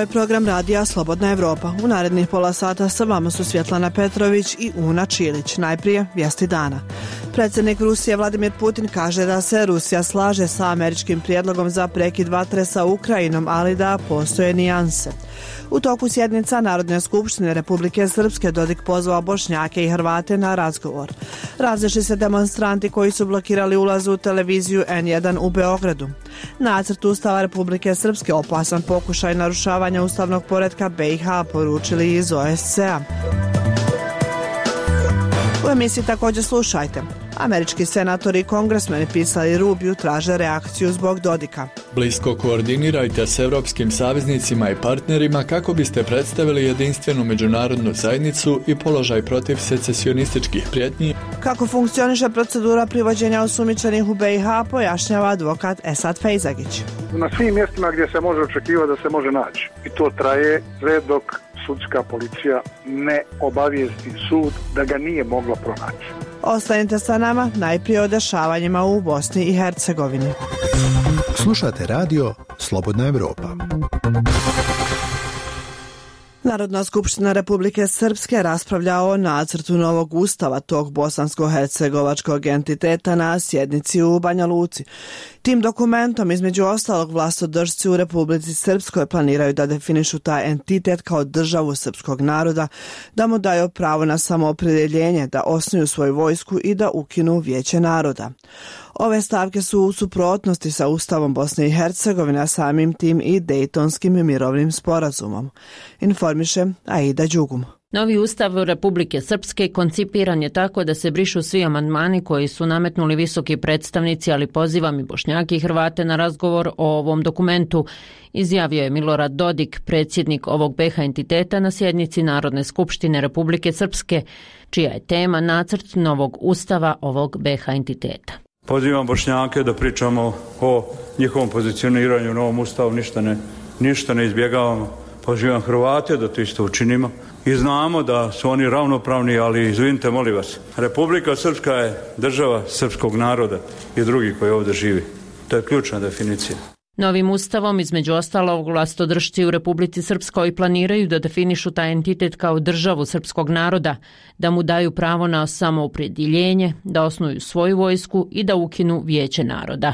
je program radija Slobodna Evropa. U narednih pola sata sa vama su Svjetlana Petrović i Una Čilić. Najprije vijesti dana. Predsjednik Rusije Vladimir Putin kaže da se Rusija slaže sa američkim prijedlogom za prekid vatre sa Ukrajinom, ali da postoje nijanse. U toku sjednica Narodne skupštine Republike Srpske Dodik pozvao Bošnjake i Hrvate na razgovor. Razišli se demonstranti koji su blokirali ulaz u televiziju N1 u Beogradu. Nacrt Ustava Republike Srpske opasan pokušaj narušavanja ustavnog poretka BiH, poručili iz OSCE-a. U emisiji također slušajte. Američki senatori i kongresmeni pisali Rubiju traže reakciju zbog Dodika. Blisko koordinirajte s europskim saveznicima i partnerima kako biste predstavili jedinstvenu međunarodnu zajednicu i položaj protiv secesionističkih prijetnji. Kako funkcioniše procedura privođenja osumnjičenih u BiH, pojašnjava advokat Esad Fejzagić. Na svim mjestima gdje se može očekivati da se može naći. I to traje sve dok sudska policija ne obavijesti sud da ga nije mogla pronaći. Ostanite sa nama, najprije o dešavanjima u Bosni i Hercegovini. Slušate radio Slobodna Evropa. Narodna skupština Republike Srpske raspravlja o nacrtu novog ustava tog bosansko-hercegovačkog entiteta na sjednici u Banja Luci. Tim dokumentom, između ostalog, vlastodržci u Republici Srpskoj planiraju da definišu taj entitet kao državu srpskog naroda, da mu daju pravo na samoopredjeljenje, da osnuju svoju vojsku i da ukinu Vijeće naroda. Ove stavke su u suprotnosti sa Ustavom Bosne i Hercegovine, a samim tim i Dejtonskim mirovnim sporazumom. Informiše Aida Đugum. Novi ustav Republike Srpske koncipiran je tako da se brišu svi amandmani koji su nametnuli visoki predstavnici, ali pozivam i Bošnjake i Hrvate na razgovor o ovom dokumentu, izjavio je Milorad Dodik, predsjednik ovog BiH entiteta na sjednici Narodne skupštine Republike Srpske, čija je tema nacrt novog ustava ovog BiH entiteta. Pozivam Bošnjake da pričamo o njihovom pozicioniranju u novom ustavu, ništa ne izbjegavamo. Pozivam Hrvate da to isto učinimo. I znamo da su oni ravnopravni, ali izvinite, molim vas, Republika Srpska je država srpskog naroda i drugih koji ovdje živi. To je ključna definicija. Novim ustavom, između ostalog, vlastodržci u Republici Srpskoj planiraju da definišu taj entitet kao državu srpskog naroda, da mu daju pravo na samoopredjeljenje, da osnuju svoju vojsku i da ukinu Vijeće naroda.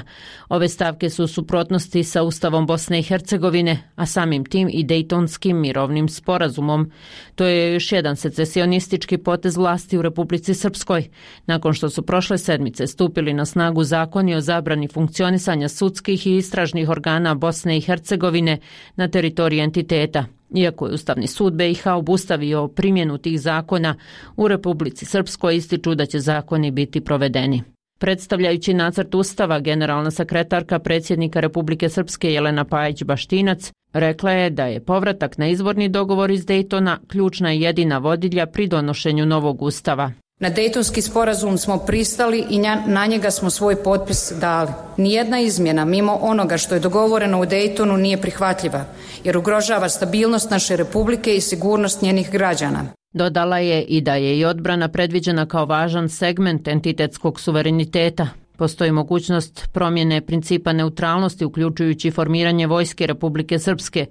Ove stavke su u suprotnosti sa Ustavom Bosne i Hercegovine, a samim tim i Dejtonskim mirovnim sporazumom. To je još jedan secesionistički potez vlasti u Republici Srpskoj, nakon što su prošle sedmice stupili na snagu zakoni o zabrani funkcionisanja sudskih i istražnih organa Bosne i Hercegovine na teritoriji entiteta. Iako je Ustavni sud BiH obustavio primjenu tih zakona, u Republici Srpskoj ističu da će zakoni biti provedeni. Predstavljajući nacrt ustava, generalna sekretarka predsjednika Republike Srpske Jelena Pajić-Baštinac rekla je da je povratak na izvorni dogovor iz Dejtona ključna i jedina vodilja pri donošenju novog ustava. Na Dejtonski sporazum smo pristali i na njega smo svoj potpis dali. Nijedna izmjena mimo onoga što je dogovoreno u Dejtonu nije prihvatljiva, jer ugrožava stabilnost naše republike i sigurnost njenih građana. Dodala je i da je i odbrana predviđena kao važan segment entitetskog suvereniteta. Postoji mogućnost promjene principa neutralnosti, uključujući formiranje vojske Republike Srpske.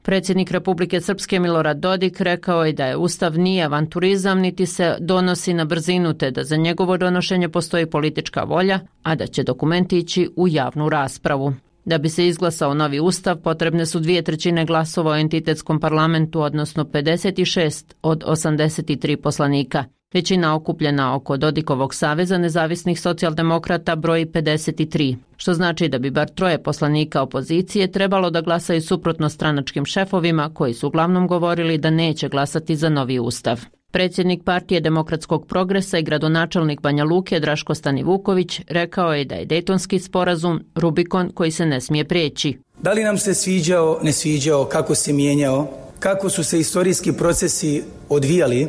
Predsjednik Republike Srpske Milorad Dodik rekao je da je Ustav nije avanturizam niti se donosi na brzinu, te da za njegovo donošenje postoji politička volja, a da će dokument ići u javnu raspravu. Da bi se izglasao novi ustav, potrebne su 2/3 glasova u entitetskom parlamentu, odnosno 56 od 83 poslanika. Većina okupljena oko Dodikovog saveza nezavisnih socijaldemokrata broji 53, što znači da bi bar 3 poslanika opozicije trebalo da glasaju suprotno stranačkim šefovima koji su uglavnom govorili da neće glasati za novi ustav. Predsjednik Partije demokratskog progresa i gradonačelnik Banja Luke Draško Stanivuković rekao je da je Dejtonski sporazum Rubikon koji se ne smije prijeći. Da li nam se sviđao, ne sviđao, kako se mijenjao, kako su se istorijski procesi odvijali,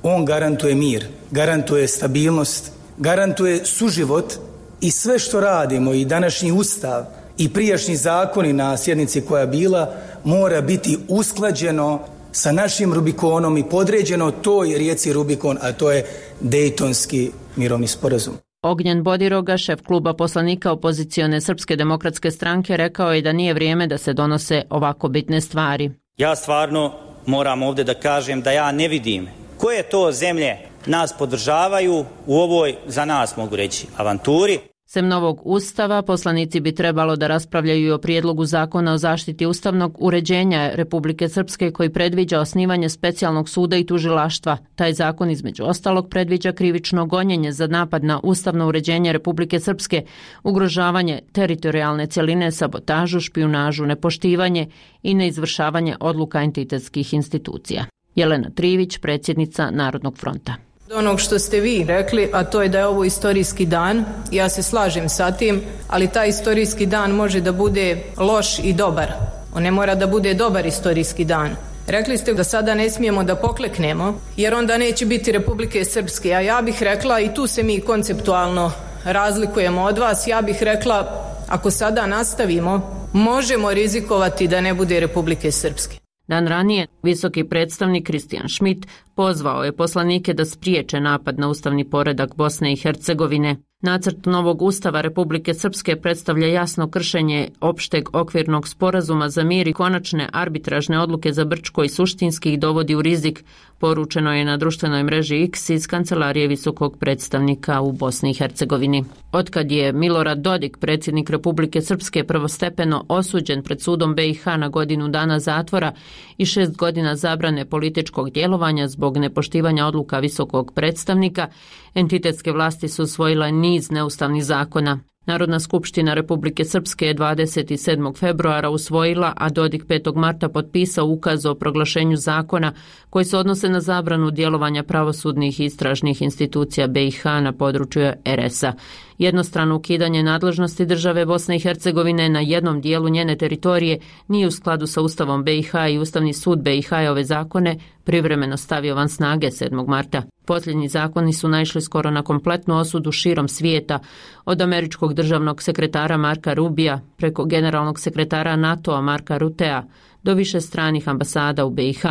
on garantuje mir, garantuje stabilnost, garantuje suživot i sve što radimo i današnji ustav i prijašnji zakoni na sjednici koja je bila mora biti usklađeno sa našim Rubikonom i podređeno toj rijeci Rubikon, a to je Dejtonski mirovni sporazum. Ognjen Bodiroga, šef kluba poslanika opozicione Srpske demokratske stranke, rekao je da nije vrijeme da se donose ovako bitne stvari. Ja stvarno moram ovdje da kažem da ja ne vidim koje to zemlje nas podržavaju u ovoj, za nas mogu reći, avanturi. Sem novog ustava, poslanici bi trebalo da raspravljaju i o prijedlogu zakona o zaštiti ustavnog uređenja Republike Srpske koji predviđa osnivanje specijalnog suda i tužilaštva. Taj zakon između ostalog predviđa krivično gonjenje za napad na ustavno uređenje Republike Srpske, ugrožavanje teritorijalne cjeline, sabotažu, špijunažu, nepoštivanje i neizvršavanje odluka entitetskih institucija. Jelena Trivić, predsjednica Narodnog fronta. Onog što ste vi rekli, a to je da je ovo istorijski dan, ja se slažem sa tim, ali taj istorijski dan može da bude loš i dobar. On ne mora da bude dobar istorijski dan. Rekli ste da sada ne smijemo da pokleknemo, jer onda neće biti Republike Srpske, a ja bih rekla, i tu se mi konceptualno razlikujemo od vas, ja bih rekla, ako sada nastavimo, možemo rizikovati da ne bude Republike Srpske. Dan ranije, visoki predstavnik Kristijan Schmidt pozvao je poslanike da spriječe napad na ustavni poredak Bosne i Hercegovine. Nacrt novog ustava Republike Srpske predstavlja jasno kršenje opšteg okvirnog sporazuma za mir i konačne arbitražne odluke za Brčko i suštinski ih dovodi u rizik, poručeno je na društvenoj mreži X iz kancelarije visokog predstavnika u Bosni i Hercegovini. Otkad je Milorad Dodik, predsjednik Republike Srpske, prvostepeno osuđen pred sudom BiH na godinu dana zatvora i 6 godina zabrane političkog djelovanja zbog nepoštivanja odluka visokog predstavnika, entitetske vlasti su usvojile niz neustavnih zakona. Narodna skupština Republike Srpske je 27. februara usvojila, a Dodik 5. marta potpisao ukaz o proglašenju zakona koji se odnose na zabranu djelovanja pravosudnih i istražnih institucija BiH na području RS-a. Jednostrano ukidanje nadležnosti države Bosne i Hercegovine na jednom dijelu njene teritorije nije u skladu sa Ustavom BiH i Ustavni sud BiH je ove zakone privremeno stavio van snage 7. marta. Posljednji zakoni su naišli skoro na kompletnu osudu širom svijeta, od američkog državnog sekretara Marka Rubija preko generalnog sekretara NATO-a Marka Rutea do više stranih ambasada u BiH.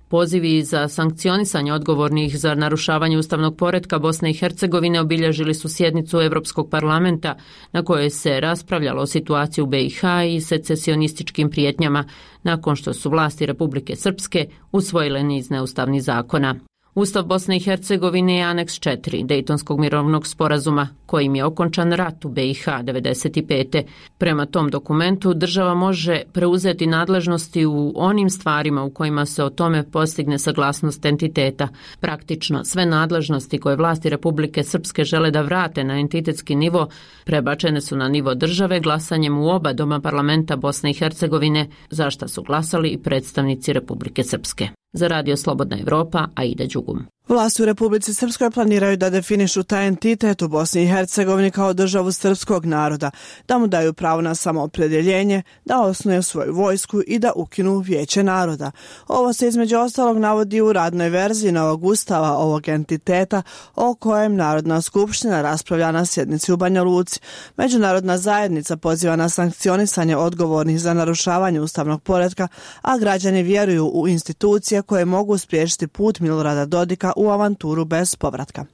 Pozivi za sankcionisanje odgovornih za narušavanje ustavnog poretka Bosne i Hercegovine obilježili su sjednicu Europskog parlamenta na kojoj se raspravljalo o situaciji u BiH i secesionističkim prijetnjama nakon što su vlasti Republike Srpske usvojile niz neustavnih zakona. Ustav Bosne i Hercegovine je aneks 4 Dejtonskog mirovnog sporazuma kojim je okončan rat u BiH 1995. Prema tom dokumentu država može preuzeti nadležnosti u onim stvarima u kojima se o tome postigne saglasnost entiteta. Praktično sve nadležnosti koje vlasti Republike Srpske žele da vrate na entitetski nivo prebačene su na nivo države glasanjem u oba doma parlamenta Bosne i Hercegovine, za šta su glasali i predstavnici Republike Srpske. Za Radio Slobodna Evropa, Aida Đugum. Vlasti u Republici Srpskoj planiraju da definišu taj entitet u Bosni i Hercegovini kao državu srpskog naroda, da mu daju pravo na samoopredjeljenje, da osnuje svoju vojsku i da ukinu Vijeće naroda. Ovo se između ostalog navodi u radnoj verziji novog ustava ovog entiteta o kojem Narodna skupština raspravlja na sjednici u Banja Luci. Međunarodna zajednica poziva na sankcionisanje odgovornih za narušavanje ustavnog poretka, a građani vjeruju u institucije koje mogu spriječiti put Milorada Dodika u avanturu bez povratka.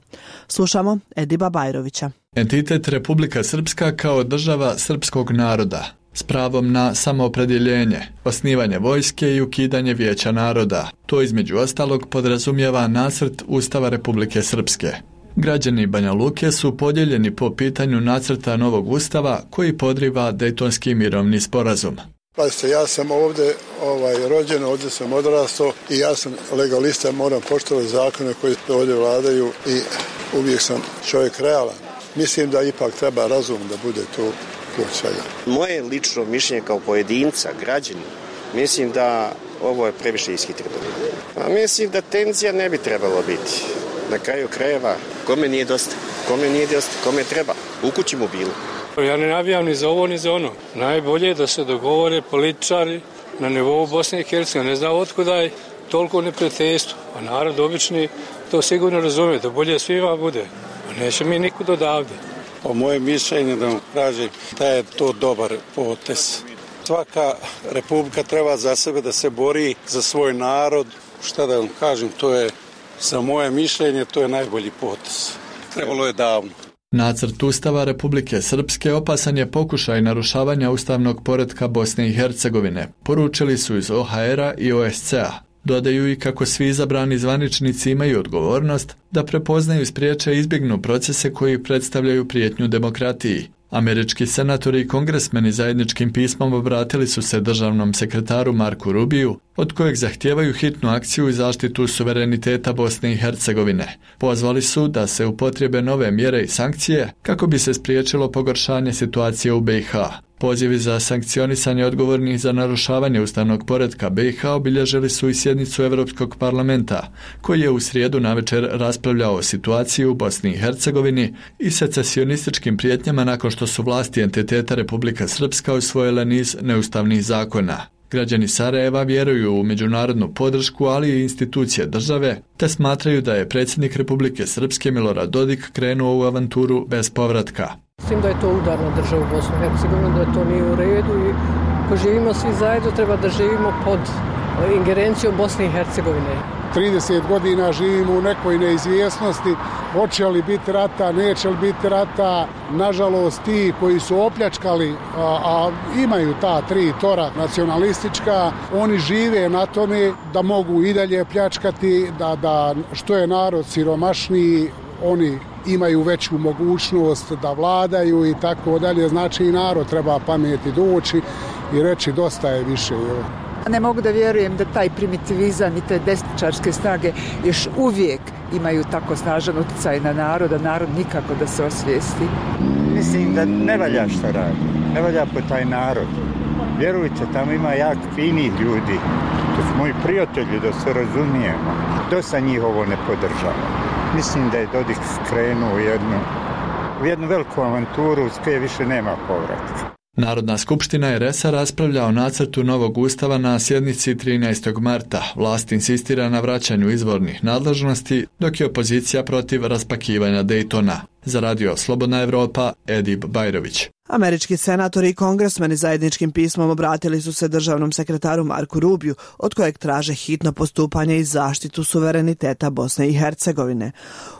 Slušamo Ediba Bajrovića. Entitet Republika Srpska kao država srpskog naroda s pravom na samoopredjeljenje, osnivanje vojske i ukidanje Vijeća naroda. To između ostalog podrazumijeva nacrt Ustava Republike Srpske. Građani Banja Luke su podijeljeni po pitanju nacrta novog ustava koji podriva Dejtonski mirovni sporazum. Pazite, ja sam ovdje rođen, ovdje sam odrastao i ja sam legalista, moram poštovati zakone koji ovdje vladaju i uvijek sam čovjek realan. Mislim da ipak treba razum da bude tu kod svega. Moje lično mišljenje kao pojedinca, građani, mislim da ovo je previše ishitreno. Mislim da tenzija ne bi trebalo biti. Na kraju krajeva, kome nije dosta, kome treba, u kući mu bilo. Ja ne navijam ni za ovo ni za ono. Najbolje je da se dogovore političari na nivou Bosne i Hercegovine. Ne znam otkuda je toliko neprijateljstvo. A narod obični to sigurno razumije, da bolje svima bude. A neće mi nikud odavde. Po moje mišljenje da vam kažem da je to dobar potez. Svaka republika treba za sebe da se bori za svoj narod. Šta da vam kažem, to je za moje mišljenje to je najbolji potez. Trebalo je davno. Nacrt Ustava Republike Srpske opasan je pokušaj narušavanja ustavnog poretka Bosne i Hercegovine, poručili su iz OHR-a i OSCE-a. Dodaju i kako svi izabrani zvaničnici imaju odgovornost da prepoznaju, spriječe i izbjegnu procese koji predstavljaju prijetnju demokratiji. Američki senatori i kongresmeni zajedničkim pismom obratili su se državnom sekretaru Marku Rubiju, od kojeg zahtijevaju hitnu akciju i zaštitu suvereniteta Bosne i Hercegovine. Pozvali su da se upotrijebe nove mjere i sankcije kako bi se spriječilo pogoršanje situacije u BiH. Pozivi za sankcionisanje odgovornih za narušavanje ustavnog poretka BiH obilježili su i sjednicu Europskog parlamenta, koji je u srijedu navečer raspravljao o situaciji u Bosni i Hercegovini i secesionističkim prijetnjama nakon što su vlasti entiteta Republika Srpska usvojile niz neustavnih zakona. Građani Sarajeva vjeruju u međunarodnu podršku, ali i institucije države, te smatraju da je predsjednik Republike Srpske Milorad Dodik krenuo u avanturu bez povratka. Mislim da je to udar na državu Bosne i Hercegovine, da to nije u redu i ako živimo svi zajedno treba da živimo pod ingerencijom Bosne i Hercegovine. 30 godina živimo u nekoj neizvjesnosti, hoće li biti rata, neće li biti rata. Nažalost, ti koji su opljačkali, a imaju ta 3 tora nacionalistička, oni žive na tome da mogu i dalje pljačkati, da što je narod siromašniji, oni imaju veću mogućnost da vladaju i tako dalje. Znači i narod treba pameti doći i reći dosta je više. Ne mogu da vjerujem da taj primitivizam i te desničarske snage još uvijek imaju tako snažan utjecaj na narod, a narod nikako da se osvijesti. Mislim da ne valja što radi, ne valja po taj narod. Vjerujte, tamo ima jak finih ljudi, to su moji prijatelji, da se razumijemo. Dosta njih ovo ne podržava. Mislim da je Dodik krenuo u jednu veliku avanturu s koje više nema povratka. Narodna skupština RS-a raspravlja o nacrtu novog ustava na sjednici 13. marta. Vlast insistira na vraćanju izvornih nadležnosti, dok je opozicija protiv raspakivanja Daytona. Za radio Slobodna Evropa, Edip Bajrović. Američki senatori i kongresmeni zajedničkim pismom obratili su se državnom sekretaru Marku Rubiju, od kojeg traže hitno postupanje i zaštitu suvereniteta Bosne i Hercegovine.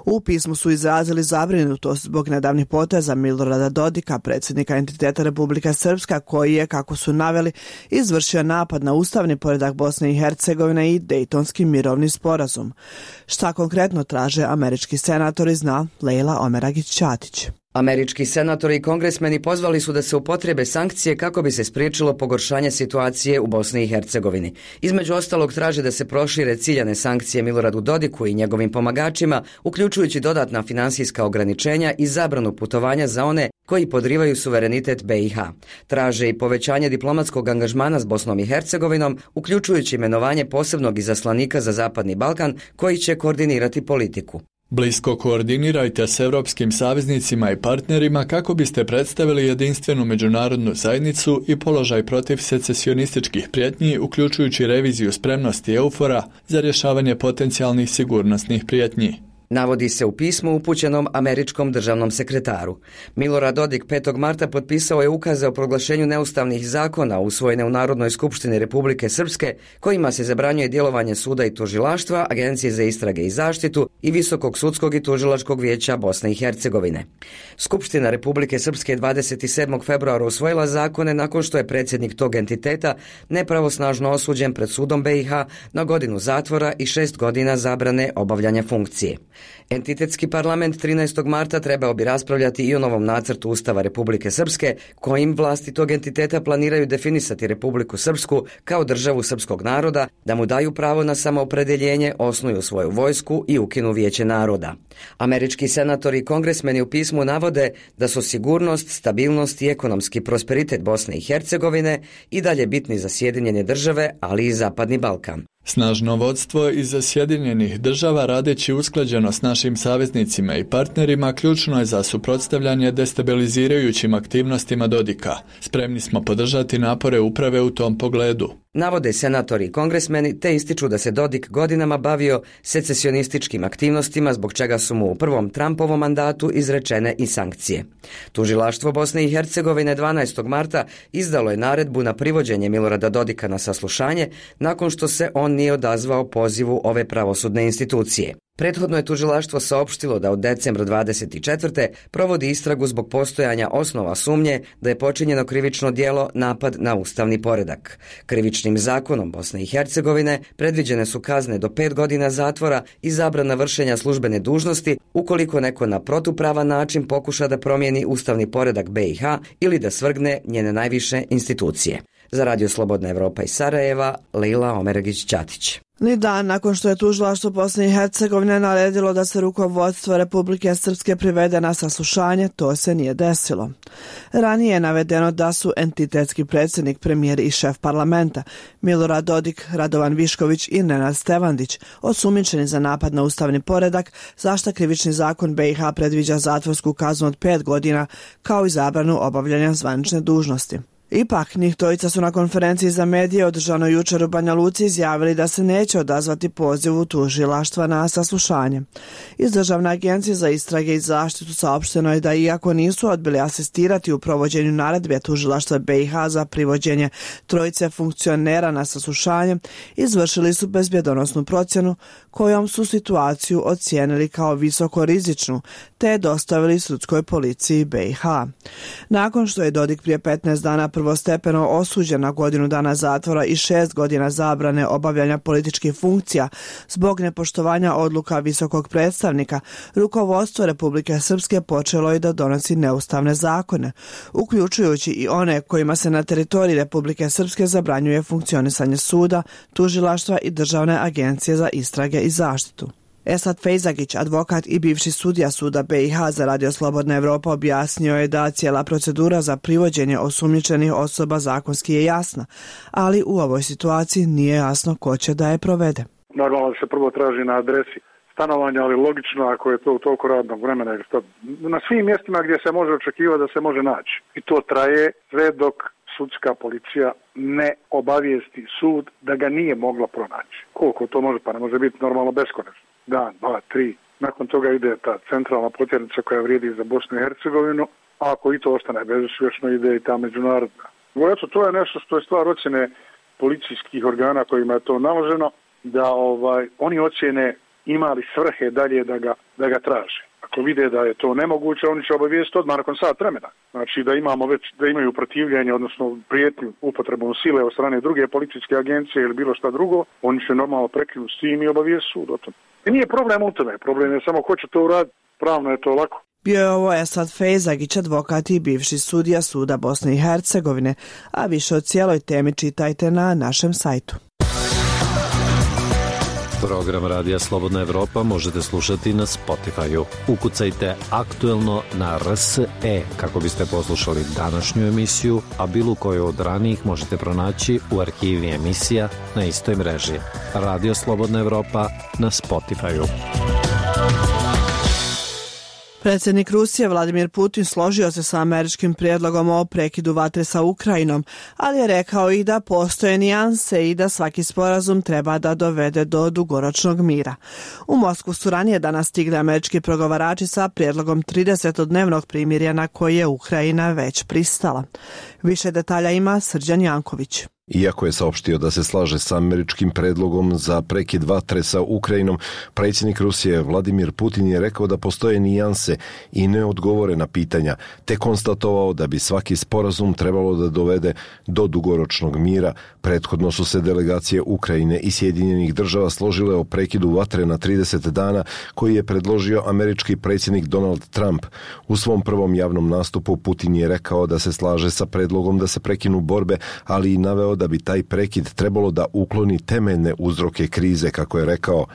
U pismu su izrazili zabrinutost zbog nedavnih poteza Milorada Dodika, predsjednika entiteta Republika Srpska, koji je, kako su naveli, izvršio napad na ustavni poredak Bosne i Hercegovine i Dejtonski mirovni sporazum. Šta konkretno traže američki senatori, zna Lejla Omeragić-Ćatić. Američki senatori i kongresmeni pozvali su da se upotrijebe sankcije kako bi se spriječilo pogoršanje situacije u Bosni i Hercegovini. Između ostalog traže da se prošire ciljane sankcije Miloradu Dodiku i njegovim pomagačima, uključujući dodatna finansijska ograničenja i zabranu putovanja za one koji podrivaju suverenitet BiH. Traže i povećanje diplomatskog angažmana s Bosnom i Hercegovinom, uključujući imenovanje posebnog izaslanika za Zapadni Balkan koji će koordinirati politiku. Blisko koordinirajte s europskim saveznicima i partnerima kako biste predstavili jedinstvenu međunarodnu zajednicu i položaj protiv secesionističkih prijetnji, uključujući reviziju spremnosti EUFOR-a za rješavanje potencijalnih sigurnosnih prijetnji. Navodi se u pismu upućenom američkom državnom sekretaru. Milorad Dodik 5. marta potpisao je ukaze o proglašenju neustavnih zakona usvojene u Narodnoj skupštini Republike Srpske, kojima se zabranjuje djelovanje suda i tužilaštva, Agencije za istrage i zaštitu i Visokog sudskog i tužilačkog vijeća Bosne i Hercegovine. Skupština Republike Srpske 27. februara usvojila zakone nakon što je predsjednik tog entiteta nepravosnažno osuđen pred sudom BiH na godinu zatvora i 6 godina zabrane obavljanja funkcije. Entitetski parlament 13. marta trebao bi raspravljati i o novom nacrtu Ustava Republike Srpske, kojim vlasti tog entiteta planiraju definisati Republiku Srpsku kao državu srpskog naroda, da mu daju pravo na samoopredjeljenje, osnuju svoju vojsku i ukinu Vijeće naroda. Američki senatori i kongresmeni u pismu navode da su sigurnost, stabilnost i ekonomski prosperitet Bosne i Hercegovine i dalje bitni za Sjedinjene države, ali i Zapadni Balkan. Snažno vodstvo iz Sjedinjenih država, radeći usklađeno s našim saveznicima i partnerima, ključno je za suprotstavljanje destabilizirajućim aktivnostima Dodika. Spremni smo podržati napore uprave u tom pogledu. Navode senatori i kongresmeni te ističu da se Dodik godinama bavio secesionističkim aktivnostima, zbog čega su mu u prvom Trumpovom mandatu izrečene i sankcije. Tužilaštvo Bosne i Hercegovine 12. marta izdalo je naredbu na privođenje Milorada Dodika na saslušanje nakon što se on nije odazvao pozivu ove pravosudne institucije. Prethodno je tužilaštvo saopštilo da od decembra 24. provodi istragu zbog postojanja osnova sumnje da je počinjeno krivično djelo napad na ustavni poredak. Krivičnim zakonom Bosne i Hercegovine predviđene su kazne do 5 godina zatvora i zabrana vršenja službene dužnosti ukoliko neko na protupravan način pokuša da promijeni ustavni poredak BiH ili da svrgne njene najviše institucije. Za Radio Slobodna Evropa iz Sarajeva, Leila Omeregić-Ćatić. Ni dan nakon što je tužilaštvo Bosne i Hercegovine naredilo da se rukovodstvo Republike Srpske privede na saslušanje, to se nije desilo. Ranije je navedeno da su entitetski predsjednik, premijer i šef parlamenta Milorad Dodik, Radovan Višković i Nenad Stevandić osumnjičeni za napad na ustavni poredak, za šta krivični zakon BiH predviđa zatvorsku kaznu od 5 godina kao i zabranu obavljanja zvanične dužnosti. Ipak, njih trojica su na konferenciji za medije održanoj jučer u Banja Luci izjavili da se neće odazvati pozivu tužilaštva na saslušanje. Iz Državne agencije za istrage i zaštitu saopšteno je da iako nisu odbili asistirati u provođenju naredbe tužilaštva BiH za privođenje trojice funkcionera na saslušanje, izvršili su bezbjedonosnu procjenu kojom su situaciju ocijenili kao visoko rizičnu, te je dostavili sudskoj policiji BiH. Nakon što je Dodik prije 15 dana prvostepeno osuđen na godinu dana zatvora i 6 godina zabrane obavljanja političkih funkcija zbog nepoštovanja odluka visokog predstavnika, rukovodstvo Republike Srpske počelo je da donosi neustavne zakone, uključujući i one kojima se na teritoriji Republike Srpske zabranjuje funkcionisanje suda, tužilaštva i Državne agencije za istrage i zaštitu. Esad Fejzagić, advokat i bivši sudija suda BiH za Radio Slobodna Evropa, objasnio je da cijela procedura za privođenje osumnjičenih osoba zakonski je jasna, ali u ovoj situaciji nije jasno ko će da je provede. Normalno da se prvo traži na adresi stanovanja, ali logično ako je to u toliko radnog vremena, na svim mjestima gdje se može očekivati da se može naći. I to traje sve dok sudska policija ne obavijesti sud da ga nije mogla pronaći. Koliko to može, pa ne može biti normalno beskonačno. Dan, 2, 3. Nakon toga ide ta centralna potjernica koja vrijedi za Bosnu i Hercegovinu, a ako i to ostane bezuspješno, ide i ta međunarodna. Eto, to je nešto što je stvar ocjene policijskih organa kojima je to naloženo, da oni ocjene imali svrhe dalje da ga traže. Ako vide da je to nemoguće, oni će obavijestiti odmah nakon sat vremena. Znači da imaju protivljenje, odnosno prijetnju upotrebom sile od strane druge policijske agencije ili bilo šta drugo, oni će normalno prekinuti s tim i obavijestiti sud o tom. I nije problem u tome, problem je samo ko će to uraditi, pravno je to lako. Bio je ovo Esad Fejzagić, advokat i bivši sudija suda Bosne i Hercegovine, a više o cijeloj temi čitajte na našem sajtu. Program Radija Slobodna Evropa možete slušati na Spotify-u. Ukucajte aktuelno na RSE kako biste poslušali današnju emisiju, a bilo koju od ranijih možete pronaći u arhivi emisija na istoj mreži. Radio Slobodna Evropa na Spotify-u. Predsjednik Rusije Vladimir Putin složio se sa američkim prijedlogom o prekidu vatre sa Ukrajinom, ali je rekao i da postoje nijanse i da svaki sporazum treba da dovede do dugoročnog mira. U Moskvu su ranije danas stigli američki pregovarači sa prijedlogom 30-dnevnog primirja na koje je Ukrajina već pristala. Više detalja ima Srđan Janković. Iako je saopštio da se slaže sa američkim predlogom za prekid vatre sa Ukrajinom, predsjednik Rusije Vladimir Putin je rekao da postoje nijanse i neodgovorena pitanja, te konstatovao da bi svaki sporazum trebalo da dovede do dugoročnog mira. Prethodno su se delegacije Ukrajine i Sjedinjenih država složile o prekidu vatre na 30 dana koji je predložio američki predsjednik Donald Trump. U svom prvom javnom nastupu Putin je rekao da se slaže sa predlogom da se prekinu borbe, ali i naveo da bi taj prekid trebalo da ukloni temeljne uzroke krize, kako je rekao.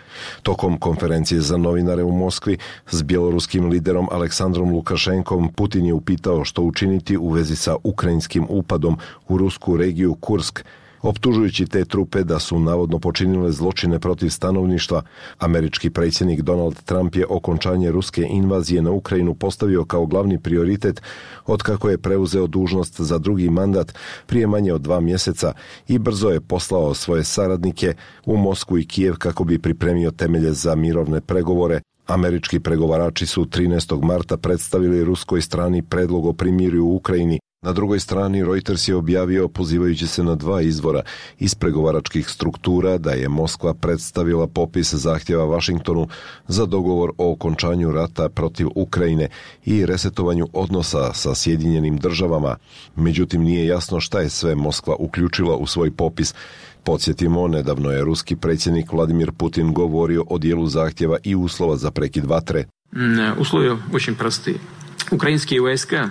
Tokom konferencije za novinare u Moskvi s bjeloruskim liderom Aleksandrom Lukašenkom, Putin je upitao što učiniti u vezi sa ukrajinskim upadom u rusku regiju Kursk, optužujući te trupe da su navodno počinile zločine protiv stanovništva. Američki predsjednik Donald Trump je okončanje ruske invazije na Ukrajinu postavio kao glavni prioritet otkako je preuzeo dužnost za drugi mandat prije manje od 2 mjeseca i brzo je poslao svoje saradnike u Moskvu i Kijev kako bi pripremio temelje za mirovne pregovore. Američki pregovarači su 13. marta predstavili ruskoj strani predlog o primirju u Ukrajini. Na drugoj strani Reuters je objavio, pozivajući se na 2 izvora iz pregovaračkih struktura, da je Moskva predstavila popis zahtjeva Vašingtonu za dogovor o okončanju rata protiv Ukrajine i resetovanju odnosa sa Sjedinjenim državama. Međutim, nije jasno šta je sve Moskva uključila u svoj popis. Podsjetimo, nedavno je ruski predsjednik Vladimir Putin govorio o dijelu zahtjeva i uslova za prekid vatre. Uslovi очень простые.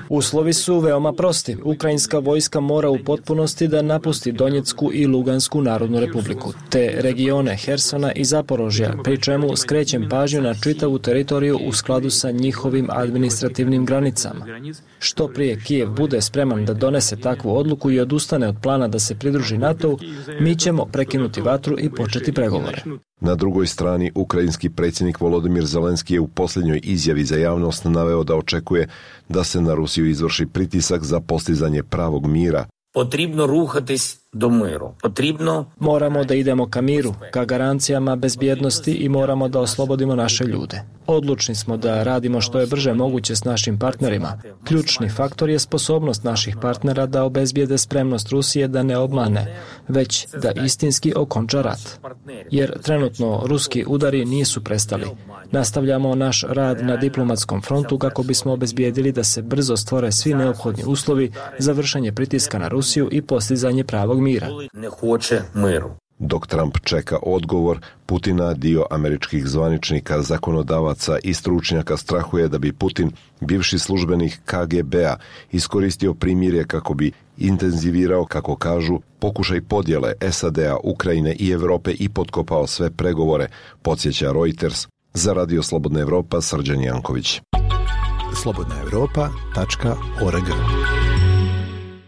Uslovi su veoma prosti. Ukrajinska vojska mora u potpunosti da napusti Donjecku i Lugansku narodnu republiku, te regione Hersona i Zaporožja, pri čemu skrećem pažnju na čitavu teritoriju u skladu sa njihovim administrativnim granicama. Što prije Kijev bude spreman da donese takvu odluku i odustane od plana da se pridruži NATO-u, mi ćemo prekinuti vatru i početi pregovore. Na drugoj strani, ukrajinski predsjednik Volodymyr Zelenski je u posljednjoj izjavi za javnost naveo da očekuje da se na Rusiju izvrši pritisak za postizanje pravog mira. Potribno ruhatis do miru. Moramo da idemo ka miru, ka garancijama bezbjednosti i moramo da oslobodimo naše ljude. Odlučni smo da radimo što je brže moguće s našim partnerima. Ključni faktor je sposobnost naših partnera da obezbijede spremnost Rusije da ne obmane, već da istinski okonča rat. Jer trenutno ruski udari nisu prestali. Nastavljamo naš rad na diplomatskom frontu kako bismo obezbijedili da se brzo stvore svi neophodni uslovi za vršenje pritiska na Rusiju i postizanje pravog mira. Dok Trump čeka odgovor Putina, dio američkih zvaničnika, zakonodavaca i stručnjaka strahuje da bi Putin, bivši službenik KGB-a, iskoristio primirje kako bi intenzivirao, kako kažu, pokušaj podjele SAD-a, Ukrajine i Europe i potkopao sve pregovore, podsjeća Reuters. Za Radio Slobodna Evropa, Srđan Janković. slobodnaevropa.org.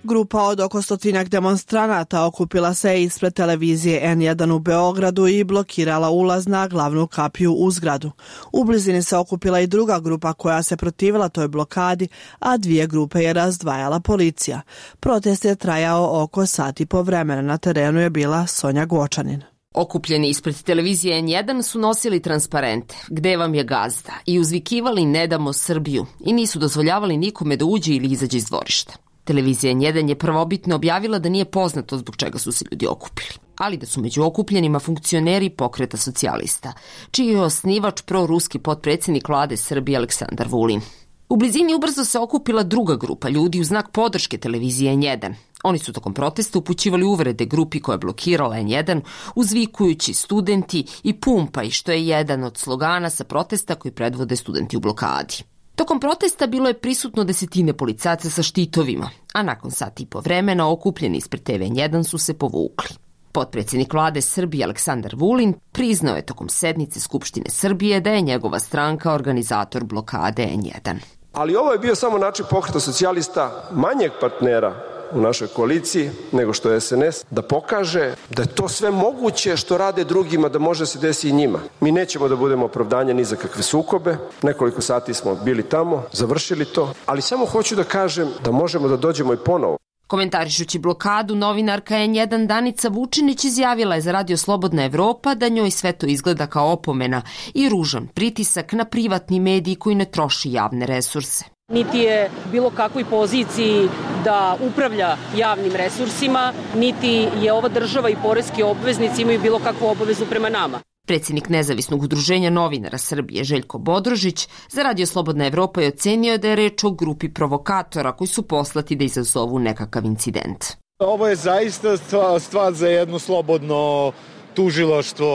Grupa od oko 100 demonstranata okupila se ispred televizije N1 u Beogradu i blokirala ulaz na glavnu kapiju u zgradu. U blizini se okupila i druga grupa koja se protivila toj blokadi, a 2 grupe je razdvajala policija. Protest je trajao oko sat i po vremena. Na terenu je bila Sonja Gočanin. Okupljeni ispred televizije N1 su nosili transparente "Gde vam je gazda" i uzvikivali "Ne damo Srbiju" i nisu dozvoljavali nikome da uđe ili izađe iz dvorišta. Televizija N1 je prvobitno objavila da nije poznato zbog čega su se ljudi okupili, ali da su među okupljenima funkcioneri Pokreta socijalista, čiji je osnivač proruski potpredsjednik vlade Srbije Aleksandar Vulin. U blizini ubrzo se okupila druga grupa ljudi u znak podrške televizije N1. Oni su tokom protesta upućivali uvrede grupi koja je blokirala N1, uzvikujući "studenti" i "pumpaj", što je jedan od slogana sa protesta koji predvode studenti u blokadi. Tokom protesta bilo je prisutno 10 policajaca sa štitovima, a nakon sat i po vremena okupljeni ispred TV N1 su se povukli. Potpredsjednik vlade Srbije Aleksandar Vulin priznao je tokom sednice Skupštine Srbije da je njegova stranka organizator blokade N1. Ali ovo je bio samo način Pokreta socijalista, manjeg partnera u našoj koaliciji nego što je SNS, da pokaže da je to sve moguće što rade drugima, da može se desiti i njima. Mi nećemo da budemo opravdanje ni za kakve sukobe. Nekoliko sati smo bili tamo, završili to, ali samo hoću da kažem da možemo da dođemo i ponovo. Komentarišući blokadu, novinarka N1 Danica Vučinić izjavila je za Radio Slobodna Evropa da njoj sve to izgleda kao opomena i ružan pritisak na privatni medij koji ne troši javne resurse. Niti je bilo kakvoj poziciji da upravlja javnim resursima, niti je ova država i poreski obveznici imaju bilo kakvu obavezu prema nama. Predsjednik Nezavisnog udruženja novinara Srbije Željko Bodrožić za Radio Slobodna Evropa je ocenio da je reč o grupi provokatora koji su poslati da izazovu nekakav incident. Ovo je zaista stvar za jedno slobodno tužilaštvo,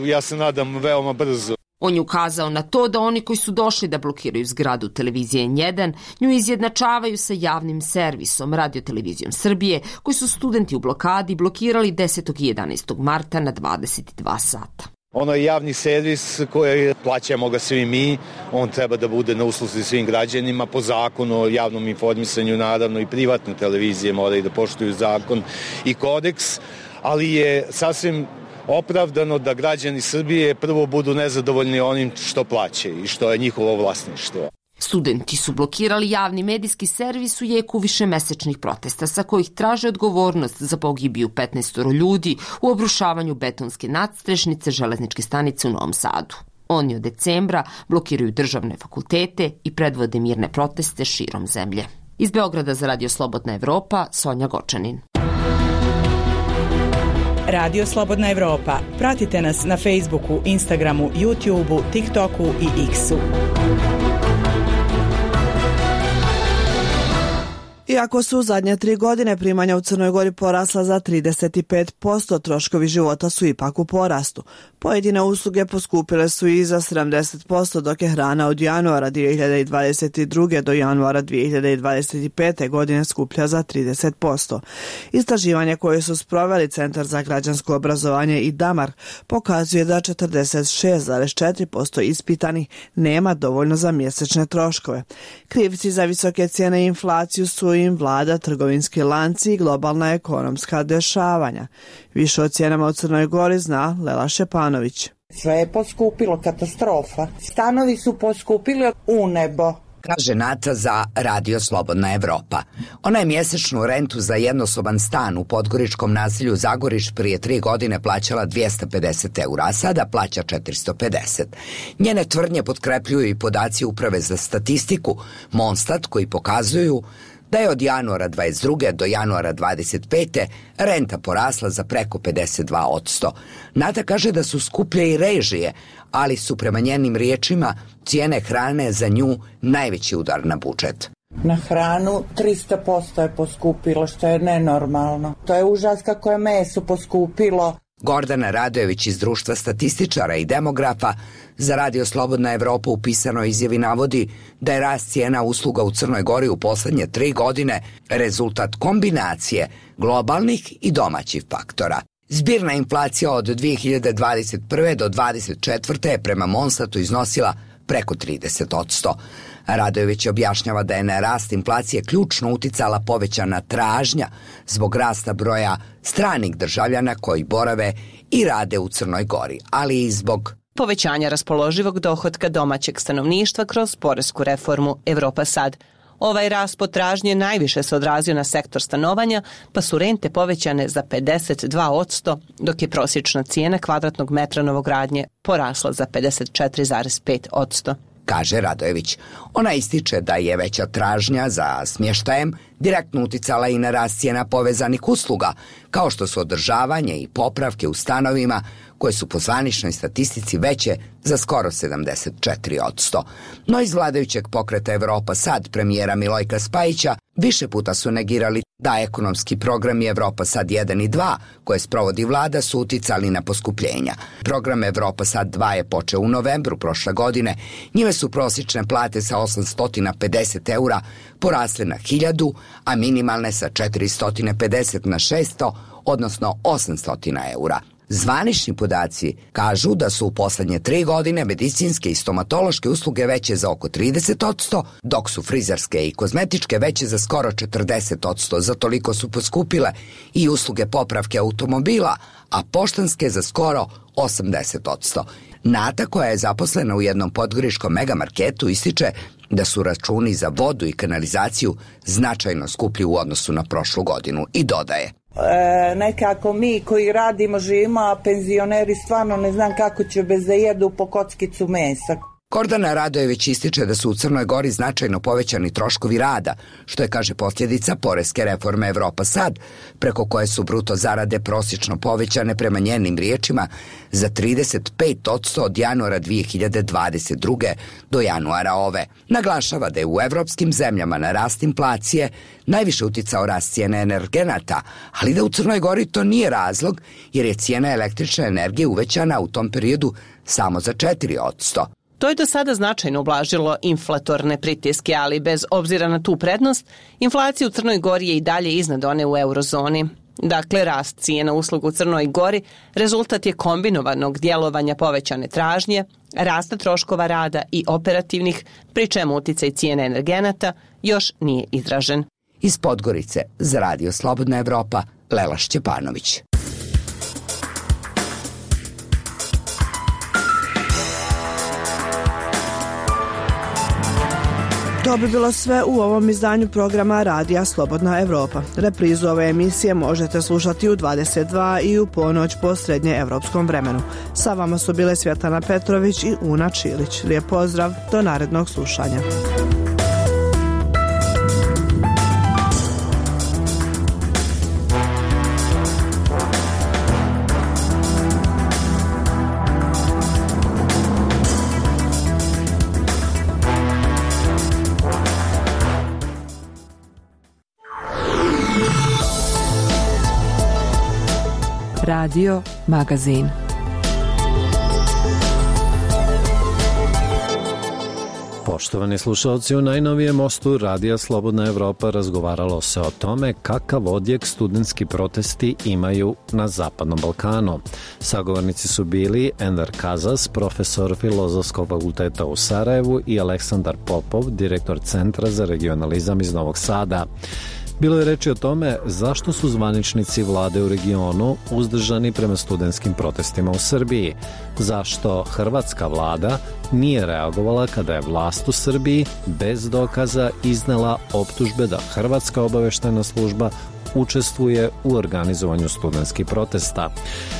ja se nadam veoma brzo. On je ukazao na to da oni koji su došli da blokiraju zgradu televizije N1 nju izjednačavaju sa javnim servisom Radiotelevizijom Srbije, koji su studenti u blokadi blokirali 10. i 11. marta na 22 sata. Ono je javni servis koji plaćamo ga svi mi, on treba da bude na usluzi svim građanima po zakonu o javnom informisanju, naravno i privatne televizije moraju da poštuju zakon i kodeks, ali je sasvim opravdano da građani Srbije prvo budu nezadovoljni onim što plaćaju i što je njihovo vlasništvo. Studenti su blokirali javni medijski servis u jeku višemesečnih protesta sa kojih traže odgovornost za pogibiju 15 ljudi u obrušavanju betonske nadstrešnice železničke stanice u Novom Sadu. Oni od decembra blokiraju državne fakultete i predvode mirne proteste širom zemlje. Iz Beograda za Radio Slobodna Evropa, Sonja Gočanin. Radio Slobodna Evropa. Pratite nas na Facebooku, Instagramu, YouTubeu, TikToku i X-u. Iako su u zadnje 3 godine primanja u Crnoj Gori porasla za 35%, troškovi života su ipak u porastu. Pojedine usluge poskupile su i za 70%, dok je hrana od januara 2022. do januara 2025. godine skuplja za 30%. Istraživanje koje su sproveli Centar za građansko obrazovanje i Damar pokazuje da 46,4% ispitanih nema dovoljno za mjesečne troškove. Krivci za visoke cijene i inflaciju su im vlada, trgovinski lanci i globalna ekonomska dešavanja. Više o cijenama u Crnoj Gori zna Lela Šepanović. Sve je poskupilo, katastrofa. Stanovi su poskupili u nebo. Kaže Nata za Radio Slobodna Evropa. Ona je mjesečnu rentu za jednosoban stan u podgoričkom naselju Zagoriš prije 3 godine plaćala 250 eura, a sada plaća 450. Njene tvrdnje potkrepljuju i podaci Uprave za statistiku Monstat koji pokazuju da je od januara 22. do januara 25. renta porasla za preko 52%. Nata kaže da su skuplje i režije, ali su prema njenim riječima cijene hrane za nju najveći udar na budžet. Na hranu 300% je poskupilo, što je nenormalno. To je užas kako je meso poskupilo. Gordana Radojević iz Društva statističara i demografa za Radio Slobodna Evropa u pisanoj izjavi navodi da je rast cijena usluga u Crnoj Gori u posljednje 3 godine rezultat kombinacije globalnih i domaćih faktora. Zbirna inflacija od 2021. do 2024. je prema Monstatu iznosila preko 30%. Radojević objašnjava da je na rast inflacije ključno uticala povećana tražnja zbog rasta broja stranih državljana koji borave i rade u Crnoj Gori, ali i zbog povećanja raspoloživog dohotka domaćeg stanovništva kroz poresku reformu Evropa Sad. Ovaj rast potražnje najviše se odrazio na sektor stanovanja, pa su rente povećane za 52%, dok je prosječna cijena kvadratnog metra novogradnje porasla za 54,5%. Kaže Radojević. Ona ističe da je veća tražnja za smještajem direktno uticala i na rast cijena povezanih usluga, kao što su održavanje i popravke u stanovima, koje su po zvaničnoj statistici veće za skoro 74%. No iz vladajućeg pokreta Evropa Sad premijera Milojka Spajića više puta su negirali da ekonomski programi Evropa Sad 1 i 2, koje sprovodi vlada, su uticali na poskupljenja. Program Evropa Sad 2 je počeo u novembru prošle godine. Njime su prosječne plate sa 850 eura porasle na 1000, a minimalne sa 450 na 600, odnosno 800 eura. Zvanični podaci kažu da su u posljednje 3 godine medicinske i stomatološke usluge veće za oko 30%, dok su frizerske i kozmetičke veće za skoro 40%. Za toliko su poskupile i usluge popravke automobila, a poštanske za skoro 80%. Nata, koja je zaposlena u jednom podgoričkom megamarketu, ističe da su računi za vodu i kanalizaciju značajno skuplji u odnosu na prošlu godinu i dodaje. Nekako mi koji radimo, živimo, a penzioneri stvarno ne znam kako će bez da jedu po kockicu mesa. Gordana Radojević ističe da su u Crnoj Gori značajno povećani troškovi rada, što je, kaže, posljedica poreske reforme Evropa Sad, preko koje su bruto zarade prosječno povećane prema njenim riječima za 35% od januara 2022. do januara ove. Naglašava da je u evropskim zemljama na rast inflacije najviše uticao rast cijene energenata, ali da u Crnoj Gori to nije razlog, jer je cijena električne energije uvećana u tom periodu samo za 4%. To je do sada značajno ublažilo inflatorne pritiske, ali bez obzira na tu prednost, inflacija u Crnoj Gori je i dalje iznad one u eurozoni. Dakle, rast cijena usluga u Crnoj Gori rezultat je kombinovanog djelovanja povećane tražnje, rasta troškova rada i operativnih, pri čemu uticaj cijene energenata još nije izražen. Iz Podgorice za Radio Slobodna Evropa, Lela Šćepanović. To bi bilo sve u ovom izdanju programa Radija Slobodna Evropa. Reprizu ove emisije možete slušati u 22 i u ponoć po srednjeevropskom vremenu. Sa vama su bile Svjetlana Petrović i Una Čilić. Lijep pozdrav, do narednog slušanja. Radio Magazin. Poštovani slušalci, u najnovijem mostu Radija Slobodna Evropa razgovaralo se o tome kakav odjek studentski protesti imaju na Zapadnom Balkanu. Sagovornici su bili Enver Kazas, profesor Filozofskog fakulteta u Sarajevu, i Aleksandar Popov, direktor Centra za regionalizam iz Novog Sada. Bilo je reči o tome zašto su zvaničnici vlade u regionu uzdržani prema studentskim protestima u Srbiji, zašto hrvatska vlada nije reagovala kada je vlast u Srbiji bez dokaza iznela optužbe da hrvatska obaveštajna služba učestvuje u organizovanju studentskih protesta.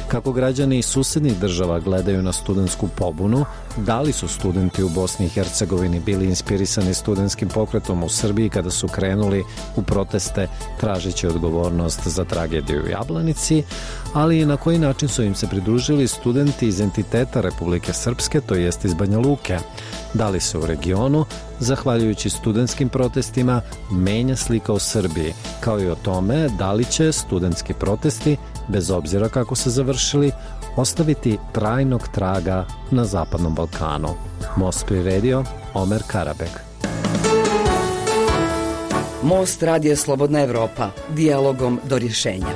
Kako građani iz susednih država gledaju na studentsku pobunu, da li su studenti u Bosni i Hercegovini bili inspirisani studentskim pokretom u Srbiji kada su krenuli u proteste tražeći odgovornost za tragediju u Jablanici, ali i na koji način su im se pridružili studenti iz entiteta Republike Srpske, to jest iz Banja Luke. Da li se u regionu, zahvaljujući studentskim protestima, menja slika u Srbiji, kao i o tome da li će studentski protesti, bez obzira kako se završili, ostaviti trajnog traga na Zapadnom Balkanu. Most priredio Omer Karabek. Most Radija Slobodna Evropa, dijalogom do rješenja.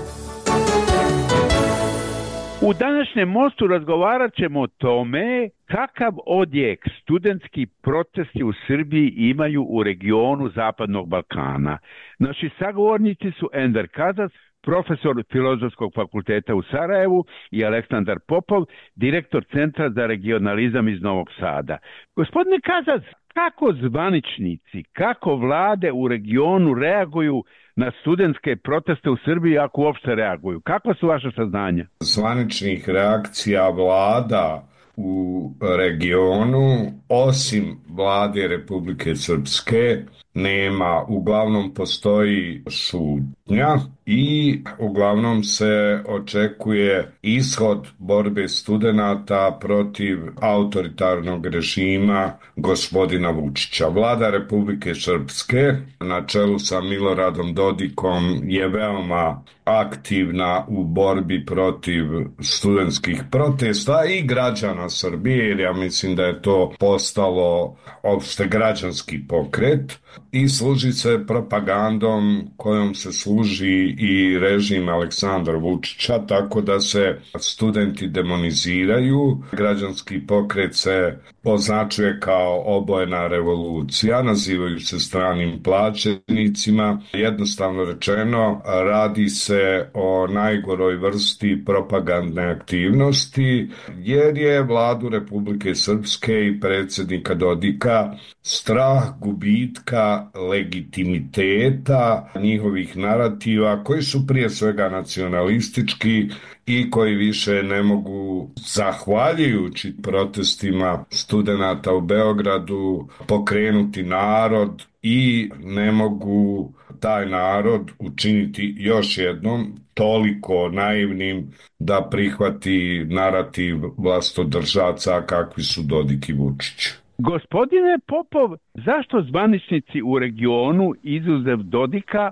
U današnjem mostu razgovarat ćemo o tome kakav odjek studentski protesti u Srbiji imaju u regionu Zapadnog Balkana. Naši sagovornici su Enver Kazas, profesor Filozofskog fakulteta u Sarajevu, i Aleksandar Popov, direktor Centra za regionalizam iz Novog Sada. Gospodine Kazas, kako zvaničnici, kako vlade u regionu reaguju na studentske proteste u Srbiji, ako uopšte reaguju? Kakva su vaše saznanja? Zvaničnih reakcija vlada u regionu, osim vlade Republike Srpske, nema. Uglavnom postoji šutnja i uglavnom se očekuje ishod borbe studenata protiv autoritarnog režima gospodina Vučića. Vlada Republike Srpske na čelu sa Miloradom Dodikom je veoma aktivna u borbi protiv studentskih protesta i građana Srbije, jer ja mislim da je to postalo opšte građanski pokret i služi se propagandom kojom se služi i režim Aleksandra Vučića, tako da se studenti demoniziraju. Građanski pokret se označuje kao obojena revolucija, nazivaju se stranim plaćenicima. Jednostavno rečeno, radi se o najgoroj vrsti propagandne aktivnosti, jer je vladu Republike Srpske i predsjednika Dodika strah gubitka legitimiteta njihovih narativa, koji su prije svega nacionalistički i koji više ne mogu, zahvaljujući protestima studenata u Beogradu, pokrenuti narod i ne mogu taj narod učiniti još jednom toliko naivnim da prihvati narativ vlastodržaca kakvi su Dodik i Vučić. Gospodine Popov, zašto zvaničnici u regionu, izuzev Dodika,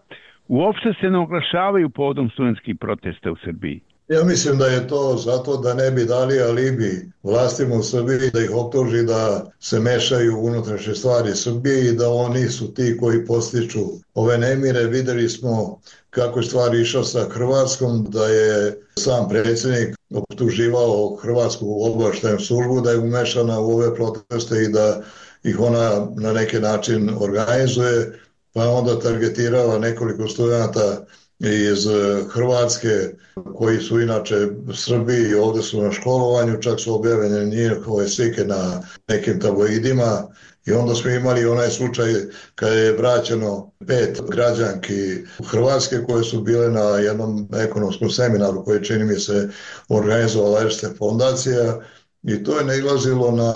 uopšte se ne oglašavaju povodom studentskih protesta u Srbiji? Ja mislim da je to zato da ne bi dali alibi vlastima u Srbiji, da ih optuži da se mešaju u unutrašnje stvari Srbije i da oni su ti koji postiču ove nemire. Videli smo kako je stvar išla sa Hrvatskom, da je sam predsjednik optuživao Hrvatsku obavještajnu službu da je umešana u ove proteste i da ih ona na neki način organizuje, pa onda targetirala nekoliko studenata iz Hrvatske koji su inače Srbiji i ovdje su na školovanju, čak su objavljene njihove slike na nekim tabloidima. I onda smo imali onaj slučaj kada je vraćeno 5 građanki Hrvatske koje su bile na jednom ekonomskom seminaru koji čini mi se organizovala Erste fondacija, i to je nailazilo na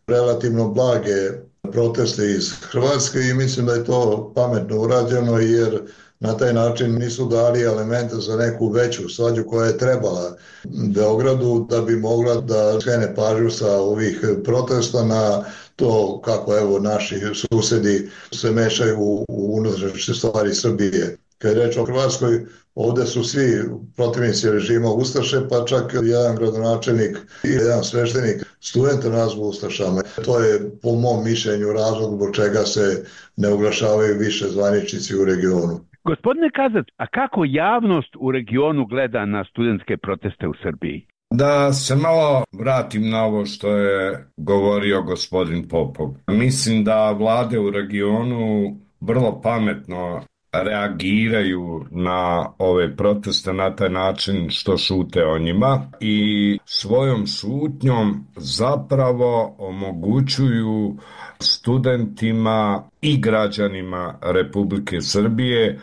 relativno blage proteste iz Hrvatske i mislim da je to pametno urađeno, jer na taj način nisu dali elemente za neku veću svađu koja je trebala Beogradu da bi mogla da skrene pažnju sa ovih protesta na to kako evo naši susedi se mešaju u unutrašnje stvari Srbije. Kad je reč o Hrvatskoj, ovdje su svi protivnici režima ustaše, pa čak jedan gradonačelnik i jedan sveštenik studente nazvu ustašama. To je po mom mišljenju razlog zbog čega se ne oglašavaju više zvaničnici u regionu. Gospodine Kazac, a kako javnost u regionu gleda na studentske proteste u Srbiji? Da se malo vratim na ovo što je govorio gospodin Popov. Mislim da vlade u regionu vrlo pametno reagiraju na ove proteste na taj način što šute o njima i svojom šutnjom zapravo omogućuju studentima i građanima Republike Srbije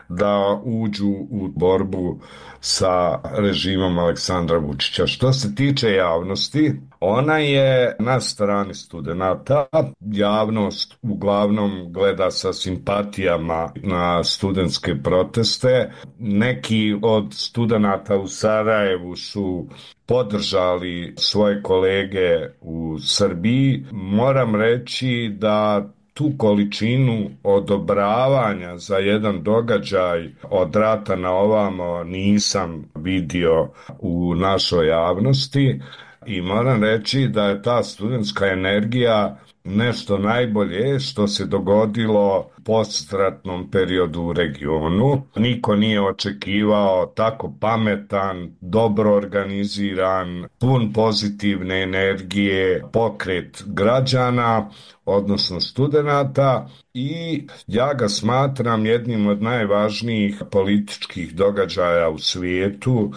da uđu u borbu sa režimom Aleksandra Vučića. Što se tiče javnosti, ona je na strani studenata. Javnost uglavnom gleda sa simpatijama na studentske proteste. Neki od studenata u Sarajevu su podržali svoje kolege u Srbiji. Moram reći da tu količinu odobravanja za jedan događaj od rata na ovamo nisam vidio u našoj javnosti i moram reći da je ta studentska energija nešto najbolje što se dogodilo u postratnom periodu u regionu. Niko nije očekivao tako pametan, dobro organiziran, pun pozitivne energije pokret građana, odnosno studenata, i ja ga smatram jednim od najvažnijih političkih događaja u svijetu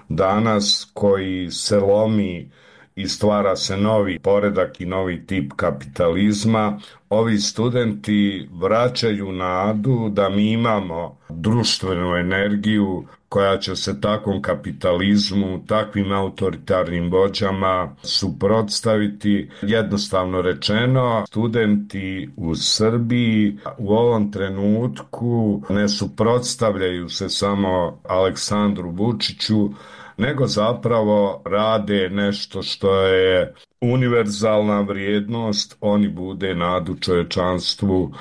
danas, koji se lomi i stvara se novi poredak i novi tip kapitalizma. Ovi studenti vraćaju nadu da mi imamo društvenu energiju koja će se takvom kapitalizmu, takvim autoritarnim vođama suprotstaviti. Jednostavno rečeno, studenti u Srbiji u ovom trenutku ne suprotstavljaju se samo Aleksandru Vučiću, nego zapravo rade nešto što je univerzalna vrijednost. Oni bude nadu čovječanstvu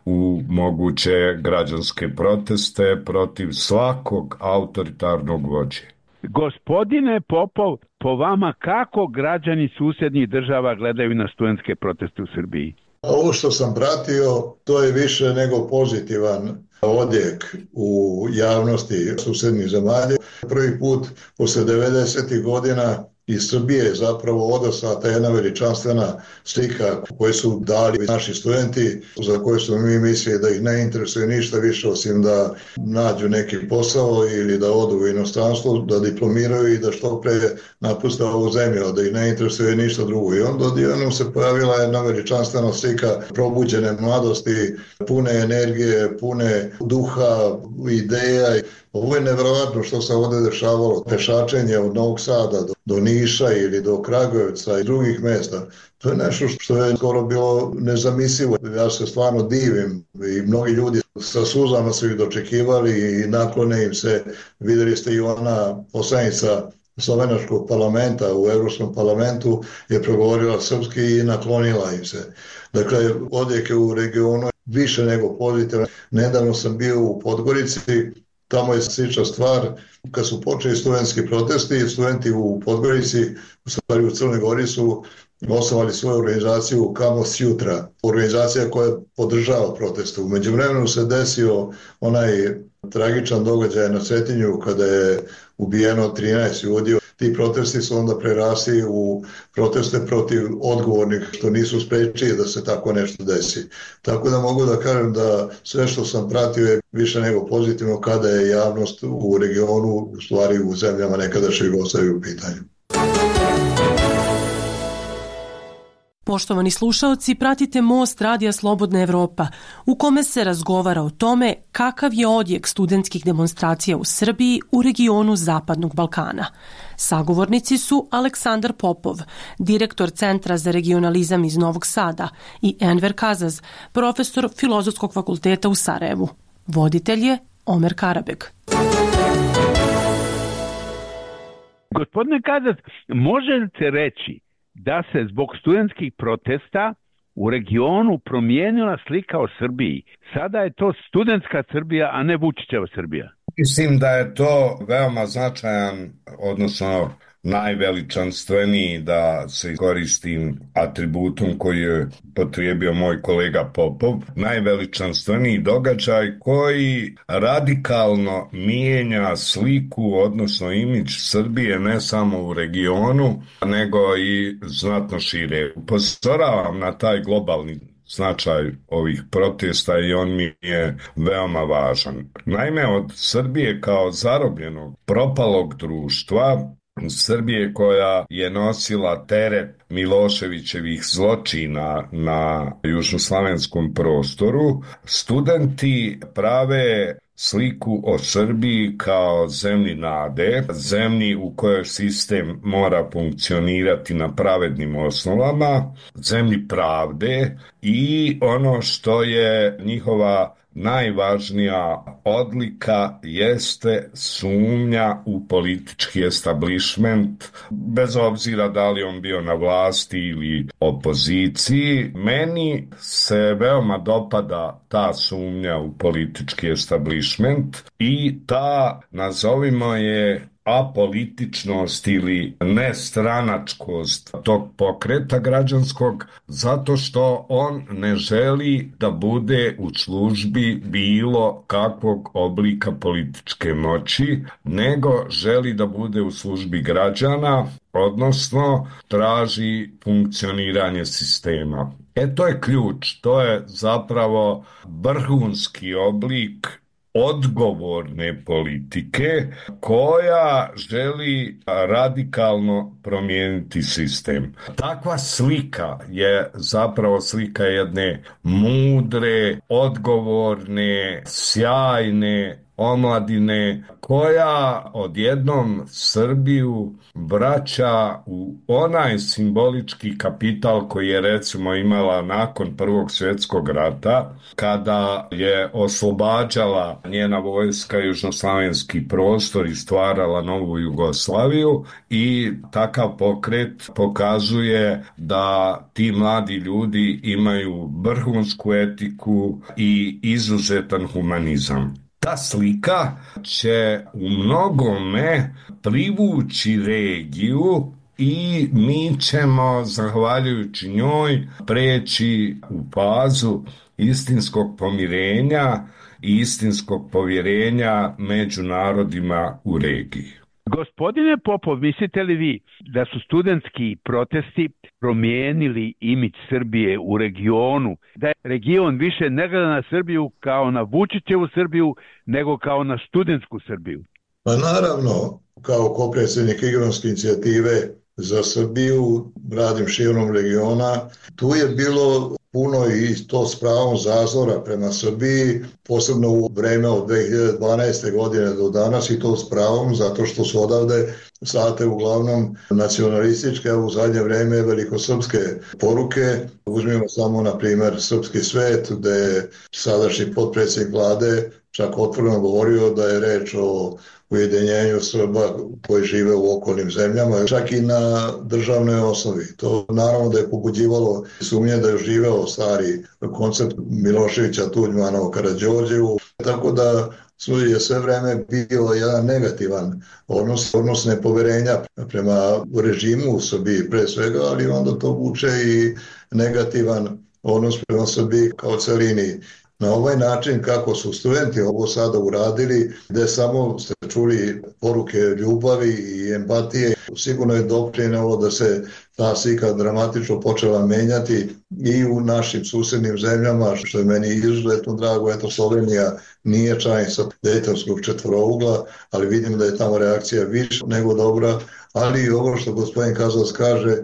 u moguće građanske proteste protiv svakog autoritarnog vođe. Gospodine Popov, po vama kako građani susjednih država gledaju na studentske proteste u Srbiji? Ovo što sam pratio, to je više nego pozitivan odjek u javnosti susjednih zemalja. Prvi put posle 90. godina iz Srbije je zapravo odaslata jedna veličanstvena slika koju su dali naši studenti, za koje su mi mislili da ih ne interesuje ništa više osim da nađu neki posao ili da odu u inostranstvo, da diplomiraju i da što pre napuste ovu zemlju, da ih ne interesuje ništa drugo. I onda odjednom se pojavila jedna veličanstvena slika probuđene mladosti, pune energije, pune duha, ideja. Ovo je nevjerojatno što se ovdje dešavalo. Pešačenje od Novog Sada do Niša ili do Kragujevca i drugih mjesta. To je nešto što je skoro bilo nezamislivo. Ja se stvarno divim i mnogi ljudi sa suzama su ih dočekivali i naklone im se. Vidjeli ste i ona poslanica Slovenačkog parlamenta u Europskom parlamentu je progovorila srpski i naklonila im se. Dakle, odjek u regionu više nego pozitivan. Nedavno sam bio u Podgorici. Tamo je slična stvar. Kad su počeli studentski protesti, studenti u Podgorici, u stvari u Crnoj Gori, su osnovali svoju organizaciju Kamos Jutra, organizacija koja podržava proteste. U međuvremenu se desio onaj tragičan događaj na Cetinju kada je ubijeno 13 ljudi. Ti protesti su onda prerasli u proteste protiv odgovornih što nisu sprečili da se tako nešto desi. Tako da mogu da kažem da sve što sam pratio je više nego pozitivno kada je javnost u regionu, u stvari u zemljama nekadašnje Jugoslavije u pitanju. Poštovani slušaoci, pratite Most Radija Slobodna Evropa, u kome se razgovara o tome kakav je odjek studentskih demonstracija u Srbiji u regionu Zapadnog Balkana. Sagovornici su Aleksandar Popov, direktor Centra za regionalizam iz Novog Sada, i Enver Kazaz, profesor Filozofskog fakulteta u Sarajevu. Voditelj je Omer Karabeg. Gospodine Kazaz, možete reći da se zbog studentskih protesta u regionu promijenila slika o Srbiji. Sada je to studentska Srbija, a ne Vučićeva Srbija. Mislim da je to veoma značajan, odnosno najveličanstveniji, da se koristim atributom koji je potrijebio moj kolega Popov, najveličanstveniji događaj koji radikalno mijenja sliku, odnosno imidž Srbije ne samo u regionu, nego i znatno šire. Upozoravam na taj globalni značaj ovih protesta i on mi je veoma važan. Naime, od Srbije kao zarobljenog, propalog društva, Srbije koja je nosila teret Miloševićevih zločina na južnoslavenskom prostoru, studenti prave sliku o Srbiji kao zemlji nade, zemlji u kojoj sistem mora funkcionirati na pravednim osnovama, zemlji pravde i ono što je njihova najvažnija odlika jeste sumnja u politički establishment, bez obzira da li on bio na vlasti ili opoziciji. Meni se veoma dopada ta sumnja u politički establishment i ta, nazovimo je, apolitičnost ili nestranačkost tog pokreta građanskog, zato što on ne želi da bude u službi bilo kakvog oblika političke moći, nego želi da bude u službi građana, odnosno traži funkcioniranje sistema. To je ključ, to je zapravo vrhunski oblik odgovorne politike koja želi radikalno promijeniti sistem. Takva slika je zapravo slika jedne mudre, odgovorne, sjajne omladine koja odjednom Srbiju vraća u onaj simbolički kapital koji je recimo imala nakon Prvog svjetskog rata, kada je oslobađala njena vojska južnoslavenski prostor i stvarala novu Jugoslaviju, i takav pokret pokazuje da ti mladi ljudi imaju vrhunsku etiku i izuzetan humanizam. Ta slika će u mnogome privući regiju i mi ćemo, zahvaljujući njoj, preći u fazu istinskog pomirenja i istinskog povjerenja među narodima u regiji. Gospodine Popov, mislite li vi da su studentski protesti promijenili imidž Srbije u regionu, da je region više ne gleda na Srbiju kao na Vučićevu Srbiju, nego kao na studentsku Srbiju? Pa naravno, kao kopredsjednik Igronske inicijative za Srbiju, radim širom regiona, tu je bilo puno i to s pravom zazora prema Srbiji, posebno u vreme od 2012. godine do danas, i to s pravom, zato što su odavde slate uglavnom nacionalističke, a u zadnje vreme velikosrpske poruke. Uzmimo samo, na primjer, Srpski svet, gde je sadašnji potpredsjednik vlade čak otvoreno govorio da je reč o ujedinjenju Srba koji žive u okolnim zemljama, čak i na državnoj osnovi. To naravno da je pobuđivalo sumnje da je živeo stari koncept Miloševića, Tuđmana, Karađorđevu, tako da je sve vreme bio jedan negativan odnos nepoverenja prema režimu u Srbiji pre svega, ali onda to vuče i negativan odnos prema Srbiji kao celini. Na ovaj način kako su studenti ovo sada uradili, gde samo ste čuli poruke ljubavi i empatije, sigurno je doprinelo da se ta slika dramatično počela menjati i u našim susednim zemljama, što je meni izuzetno drago. Eto, Slovenija nije članica Dejtonskog četvorougla, ali vidim da je tamo reakcija više nego dobra, ali i ovo što gospodin Kazac kaže,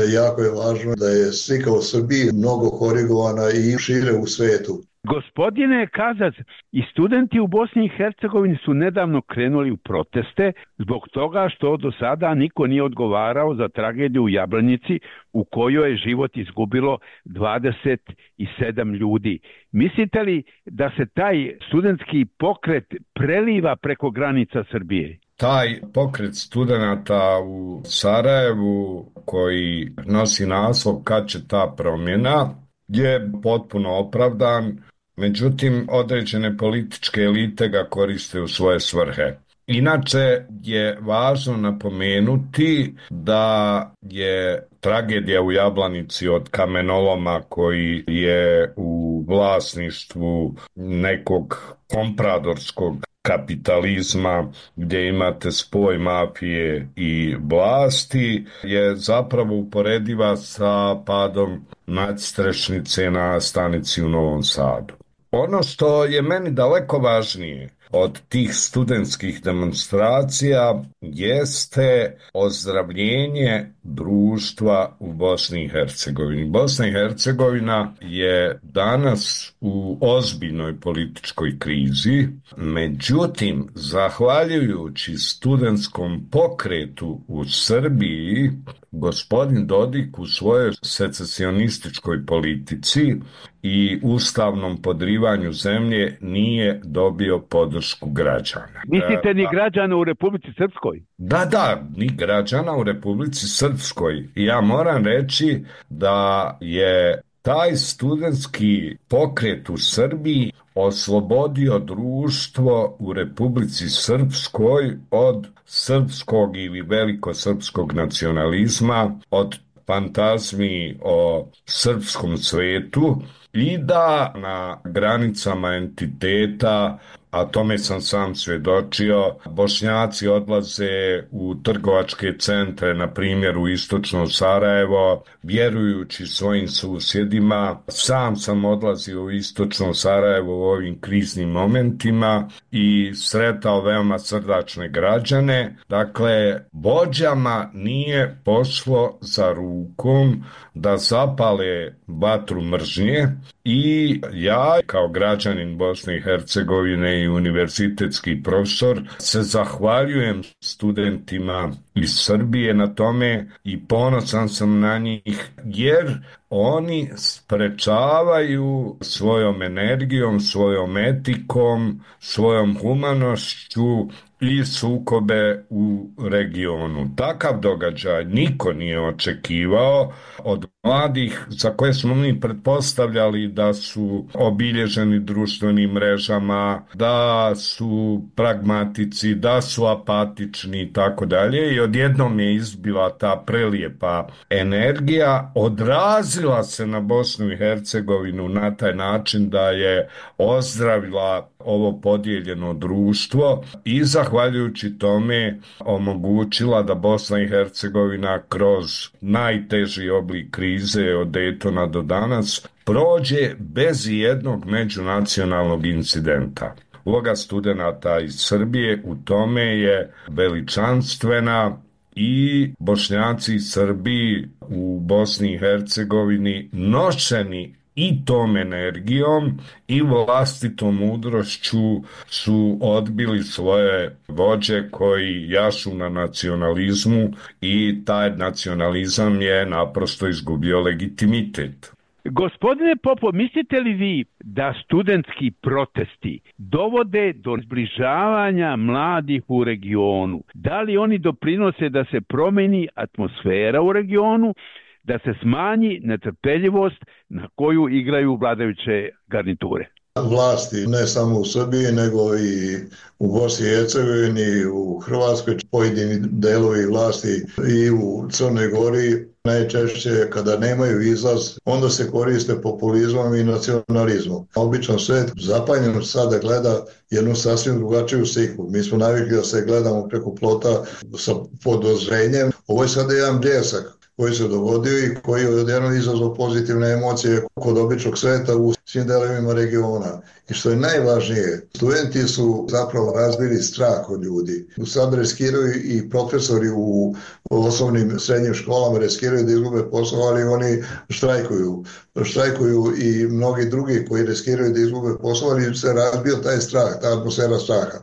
jako je važno da je slika o Srbiji mnogo korigovana i šire u svetu. Gospodine Kazac, i studenti u Bosni i Hercegovini su nedavno krenuli u proteste zbog toga što do sada niko nije odgovarao za tragediju u Jablanici u kojoj je život izgubilo 27 ljudi. Mislite li da se taj studentski pokret preliva preko granica Srbije? Taj pokret studenata u Sarajevu koji nosi naslov Kad će ta promjena, je potpuno opravdan, međutim određene političke elite ga koriste u svoje svrhe. Inače je važno napomenuti da je tragedija u Jablanici od kamenoloma koji je u vlasništvu nekog kompradorskog kapitalizma gdje imate spoj mafije i vlasti je zapravo uporediva sa padom nadstrešnice na stanici u Novom Sadu. Ono što je meni daleko važnije od tih studentskih demonstracija jeste ozdravljenje društva u Bosni i Hercegovini. Bosna i Hercegovina je danas u ozbiljnoj političkoj krizi, međutim, zahvaljujući studentskom pokretu u Srbiji, gospodin Dodik u svojoj secesionističkoj politici i ustavnom podrivanju zemlje nije dobio podršku građana. Mislite ni građana u Republici Srpskoj? Da, ni građana u Republici Srpskoj. Ja moram reći da je taj studentski pokret u Srbiji oslobodio društvo u Republici Srpskoj od srpskog ili velikosrpskog nacionalizma, od fantazmi o srpskom svetu i da na granicama entiteta, a tome sam sam svjedočio, Bošnjaci odlaze u trgovačke centre, na primjer u istočno Sarajevo, vjerujući svojim susjedima. Sam sam odlazio u istočno Sarajevo u ovim kriznim momentima i sretao veoma srdačne građane. Dakle, vođama nije pošlo za rukom da zapale vatru mržnje i ja kao građanin Bosne i Hercegovine i univerzitetski profesor se zahvaljujem studentima iz Srbije na tome i ponosan sam na njih jer oni sprečavaju svojom energijom, svojom etikom, svojom humanošću i sukobe u regionu. Takav događaj niko nije očekivao od mladih za koje smo mi pretpostavljali da su obilježeni društvenim mrežama, da su pragmatici, da su apatični i tako dalje i odjednom je izbila ta prelijepa energija, odrazila se na Bosnu i Hercegovinu na taj način da je ozdravila ovo podijeljeno društvo i zahvaljujući tome omogućila da Bosna i Hercegovina kroz najteži oblik krize od Daytona do danas prođe bez jednog međunacionalnog incidenta. Uloga studenata iz Srbije u tome je veličanstvena i Bošnjaci i Srbi u Bosni i Hercegovini nošeni i tom energijom i vlastitom mudrošću su odbili svoje vođe koji jašu na nacionalizmu i taj nacionalizam je naprosto izgubio legitimitet. Gospodine Popov, mislite li vi da studentski protesti dovode do zbližavanja mladih u regionu? Da li oni doprinose da se promeni atmosfera u regionu, da se smanji netrpeljivost na koju igraju vladajuće garniture? Vlasti ne samo u Srbiji nego i u Bosni i Hercegovini, u Hrvatskoj, pojedini delovi vlasti i u Crnoj Gori najčešće kada nemaju izlaz onda se koriste populizmom i nacionalizmom. Obično svet zapanjen sada gleda jednu sasvim drugačiju sliku. Mi smo navikli da se gledamo preko plota sa podozrenjem. Ovo je sada jedan bljesak koji se dogodio i koji je odjednom izazvao pozitivne emocije kod običnog sveta u svim delovima regiona. I što je najvažnije, studenti su zapravo razbili strah od ljudi. Sad riskiraju i profesori u osnovnim srednjim školama riskiraju da izgube posao, ali oni štrajkuju. Štrajkuju i mnogi drugi koji riskiraju da izgube posao, ali se razbio taj strah, ta atmosfera straha.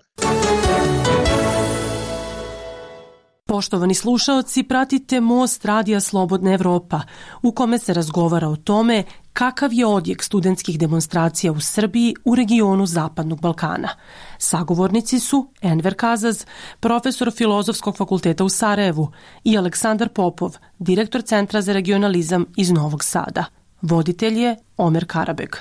Poštovani slušaoci, pratite Most radija Slobodna Evropa, u kome se razgovara o tome kakav je odjek studentskih demonstracija u Srbiji u regionu Zapadnog Balkana. Sagovornici su Enver Kazaz, profesor Filozofskog fakulteta u Sarajevu, i Aleksandar Popov, direktor Centra za regionalizam iz Novog Sada. Voditelj je Omer Karabeg.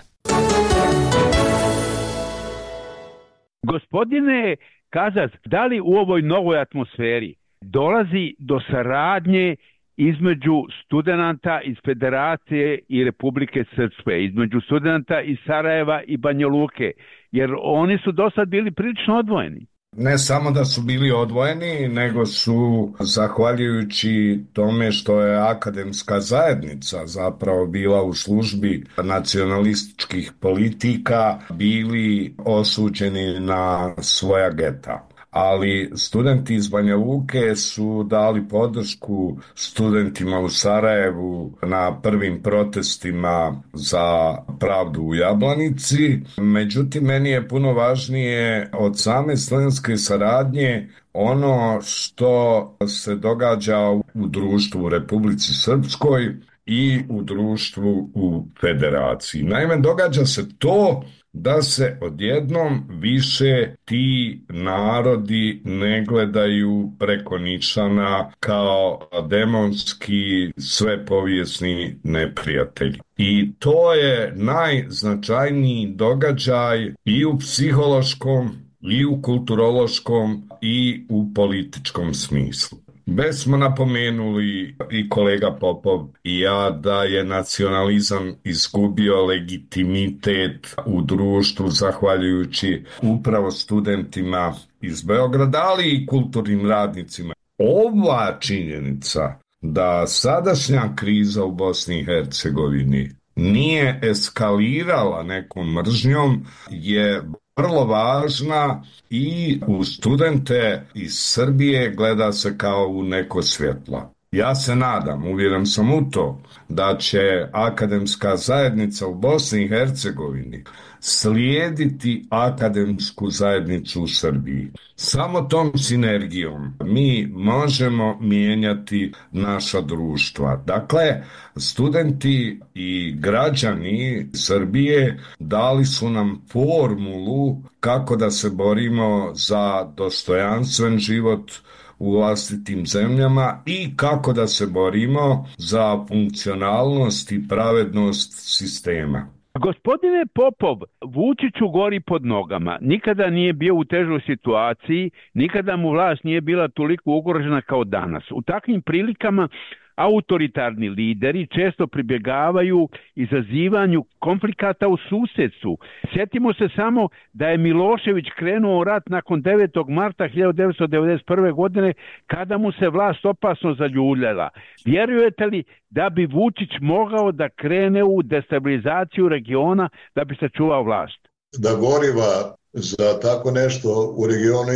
Gospodine Kazas, da li u ovoj novoj atmosferi dolazi do saradnje između studenata iz Federacije i Republike Srpske, između studenata iz Sarajeva i Banja Luke, jer oni su do sad bili prilično odvojeni? Ne samo da su bili odvojeni, nego su, zahvaljujući tome što je akademska zajednica zapravo bila u službi nacionalističkih politika, bili osuđeni na svoja geta. Ali studenti iz Banja Luke su dali podršku studentima u Sarajevu na prvim protestima za pravdu u Jablanici. Međutim, meni je puno važnije od same studentske saradnje ono što se događa u društvu u Republici Srpskoj i u društvu u Federaciji. Naime, događa se to da se odjednom više ti narodi ne gledaju preko nišana kao demonski svepovijesni neprijatelji. I to je najznačajniji događaj i u psihološkom, i u kulturološkom, i u političkom smislu. Već smo napomenuli i kolega Popov i ja da je nacionalizam izgubio legitimitet u društvu zahvaljujući upravo studentima iz Beograda, ali i kulturnim radnicima. Ova činjenica da sadašnja kriza u Bosni i Hercegovini nije eskalirala nekom mržnjom je vrlo važna i u studente iz Srbije gleda se kao u neko svjetlo. Ja se nadam, uvjeren sam u to, da će akademska zajednica u Bosni i Hercegovini slijediti akademsku zajednicu u Srbiji. Samo tom sinergijom mi možemo mijenjati naša društva. Dakle, studenti i građani Srbije dali su nam formulu kako da se borimo za dostojanstven život u vlastitim zemljama i kako da se borimo za funkcionalnost i pravednost sistema. Gospodine Popov, Vučiću gori pod nogama. Nikada nije bio u težoj situaciji, nikada mu vlast nije bila toliko ugrožena kao danas. U takvim prilikama autoritarni lideri često pribjegavaju izazivanju konflikata u susjedstvu. Sjetimo se samo da je Milošević krenuo u rat nakon 9. marta 1991. godine kada mu se vlast opasno zaljuljala. Vjerujete li da bi Vučić mogao da krene u destabilizaciju regiona da bi sačuvao vlast? Da goriva za tako nešto u regionu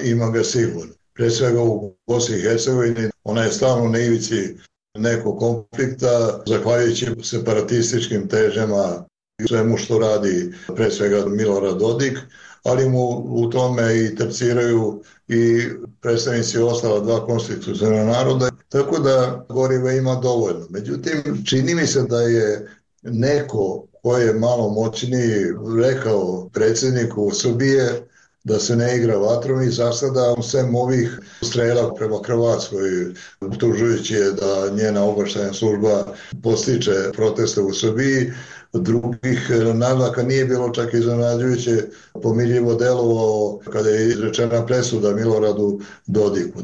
ima ga sigurno. Pre svega u Bosni i Hercegovini, ona je stalno na ivici nekog konflikta, zahvaljujući separatističkim težnjama i svemu što radi pre svega Milorad Dodik, ali mu u tome i terciraju i predstavnici ostala dva konstitucionalna naroda, tako da goriva ima dovoljno. Međutim, čini mi se da je neko ko je malo moćniji rekao predsjedniku Srbije da se ne igra vatrom i za sada sem ovih strela prema Hrvatskoj, optužujući je da njena obavještajna služba postiče proteste u Srbiji, drugih naznaka nije bilo, čak iznenađujuće pomirljivo delovao kada je izrečena presuda Miloradu Dodiku.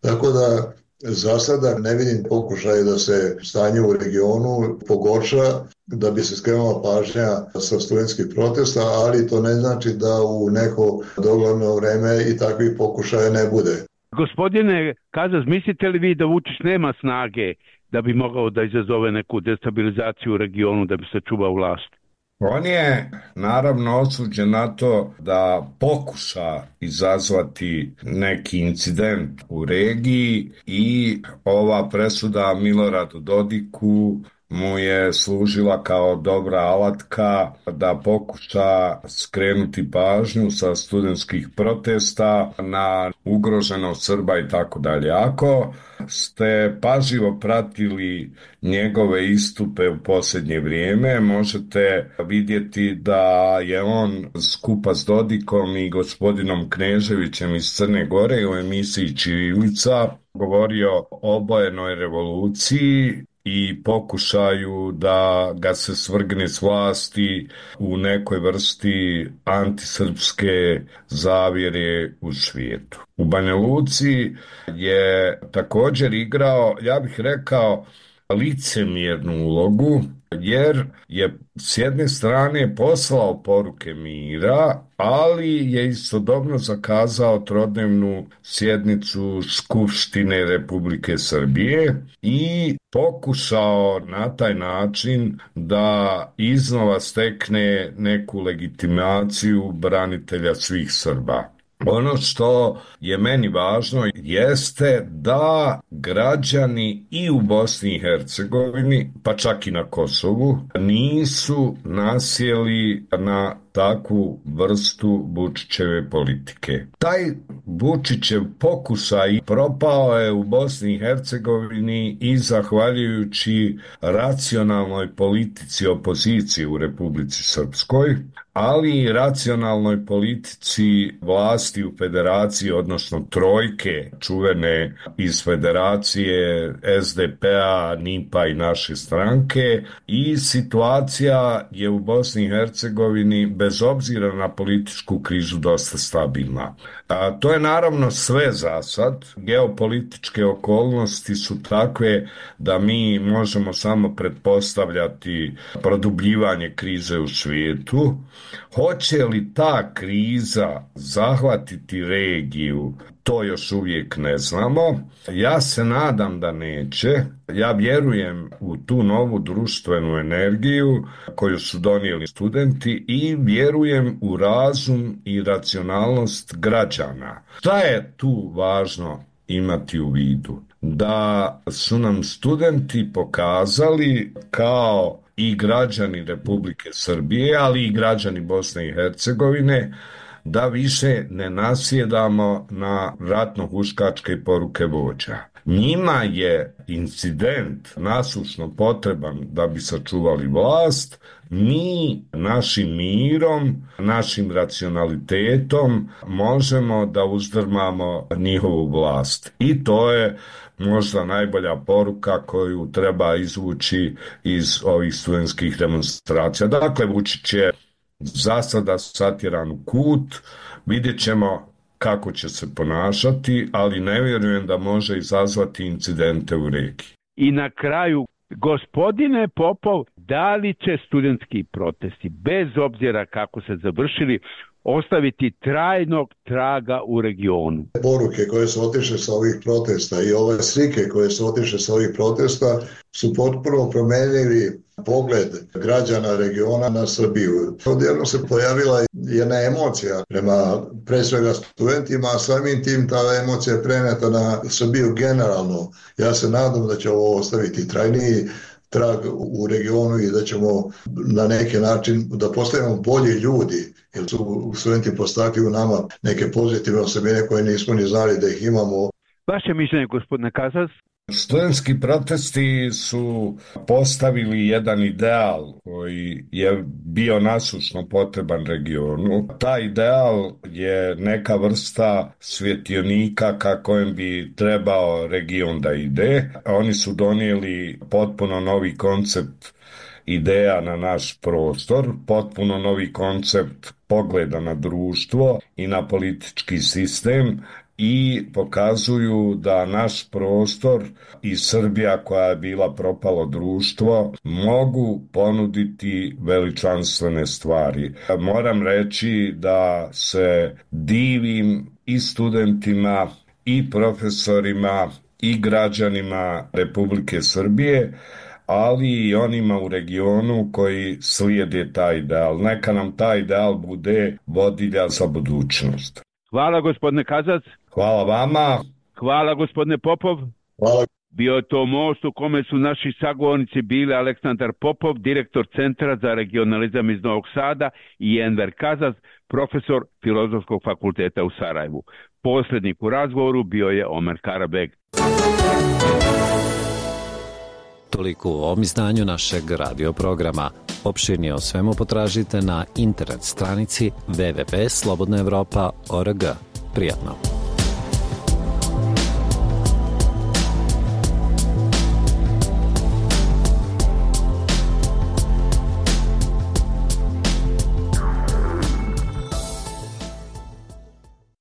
Tako da za sada ne vidim pokušaj da se stanje u regionu pogorša, da bi se skrenula pažnja sa studentskih protesta, ali to ne znači da u neko dogledno vreme i takvih pokušaja ne bude. Gospodine Kazas, mislite li vi da Vučić nema snage da bi mogao da izazove neku destabilizaciju u regionu da bi sačuvao vlast? On je naravno osuđen na to da pokuša izazvati neki incident u regiji i ova presuda Miloradu Dodiku mu je služila kao dobra alatka da pokuša skrenuti pažnju sa studentskih protesta na ugroženost Srba i tako dalje. Ako ste pažljivo pratili njegove istupe u posljednje vrijeme, možete vidjeti da je on skupa s Dodikom i gospodinom Kneževićem iz Crne Gore u emisiji Ćirilica govorio o obojenoj revoluciji i pokušaju da ga se svrgne s vlasti u nekoj vrsti antisrpske zavjere u svijetu. U Banja Luci je također igrao, ja bih rekao, licemjernu ulogu, jer je s jedne strane poslao poruke mira, ali je istodobno zakazao trodnevnu sjednicu Skupštine Republike Srbije i pokušao na taj način da iznova stekne neku legitimaciju branitelja svih Srba. Ono što je meni važno jeste da građani i u Bosni i Hercegovini, pa čak i na Kosovu, nisu nasjeli na takvu vrstu Vučićeve politike. Taj Vučićev pokušaj propao je u Bosni i Hercegovini i zahvaljujući racionalnoj politici opozicije u Republici Srpskoj, ali i racionalnoj politici vlasti u federaciji, odnosno trojke čuvene iz federacije SDP-a, NIP-a i naše stranke, i situacija je u Bosni i Hercegovini bez obzira na političku krizu dosta stabilna. To je naravno sve za sad. Geopolitičke okolnosti su takve da mi možemo samo pretpostavljati produbljivanje krize u svijetu. Hoće li ta kriza zahvatiti regiju, to još uvijek ne znamo. Ja se nadam da neće. Ja vjerujem u tu novu društvenu energiju koju su donijeli studenti i vjerujem u razum i racionalnost građana. Šta je tu važno imati u vidu? Da su nam studenti pokazali kao i građani Republike Srbije, ali i građani Bosne i Hercegovine, da više ne nasjedamo na ratno-huškačke poruke vođa. Njima je incident nasušno potreban da bi sačuvali vlast. Mi našim mirom, našim racionalitetom možemo da uzdrmamo njihovu vlast. I to je možda najbolja poruka koju treba izvući iz ovih studentskih demonstracija. Dakle, Vučić je za sada satjeran u kut, vidjet ćemo kako će se ponašati, ali ne vjerujem da može izazvati incidente u regiji. I na kraju, gospodine Popov, da li će studentski protesti, bez obzira kako se završili, ostaviti trajnog traga u regionu? Poruke koje su otišle sa ovih protesta i ove slike koje su otišle sa ovih protesta su potpuno promenili pogled građana regiona na Srbiju. Odjedno se pojavila jedna emocija prema pre svega studentima, a samim tim ta emocija je preneta na Srbiju generalno. Ja se nadam da će ovo ostaviti trajniji trag u regionu i da ćemo na neki način da postavimo bolji ljudi, jer su studenti postakli u nama neke pozitivne osobine koje nismo ni znali da ih imamo. Vaše mišljenje, gospodine Kazas? Studentski protesti su postavili jedan ideal koji je bio nasušno potreban regionu. Taj ideal je neka vrsta svjetionika ka kojem bi trebao region da ide. Oni su donijeli potpuno novi koncept ideja na naš prostor, potpuno novi koncept pogleda na društvo i na politički sistem, i pokazuju da naš prostor i Srbija, koja je bila propalo društvo, mogu ponuditi veličanstvene stvari. Moram reći da se divim i studentima i profesorima i građanima Republike Srbije, ali i onima u regionu koji slijede taj ideal. Neka nam taj ideal bude vodilja za budućnost. Hvala, gospodine Kazac. Hvala vama. Hvala, gospodine Popov. Hvala. Bio je to most u kome su naši sagovornici bili Aleksandar Popov, direktor Centra za regionalizam iz Novog Sada, i Enver Kazac, profesor Filozofskog fakulteta u Sarajevu. Posrednik u razgovoru bio je Omer Karabeg. Toliko u ovom izdanju našeg radio programa. Opširnije o svemu potražite na internet stranici www.slobodnaevropa.org. Prijatno.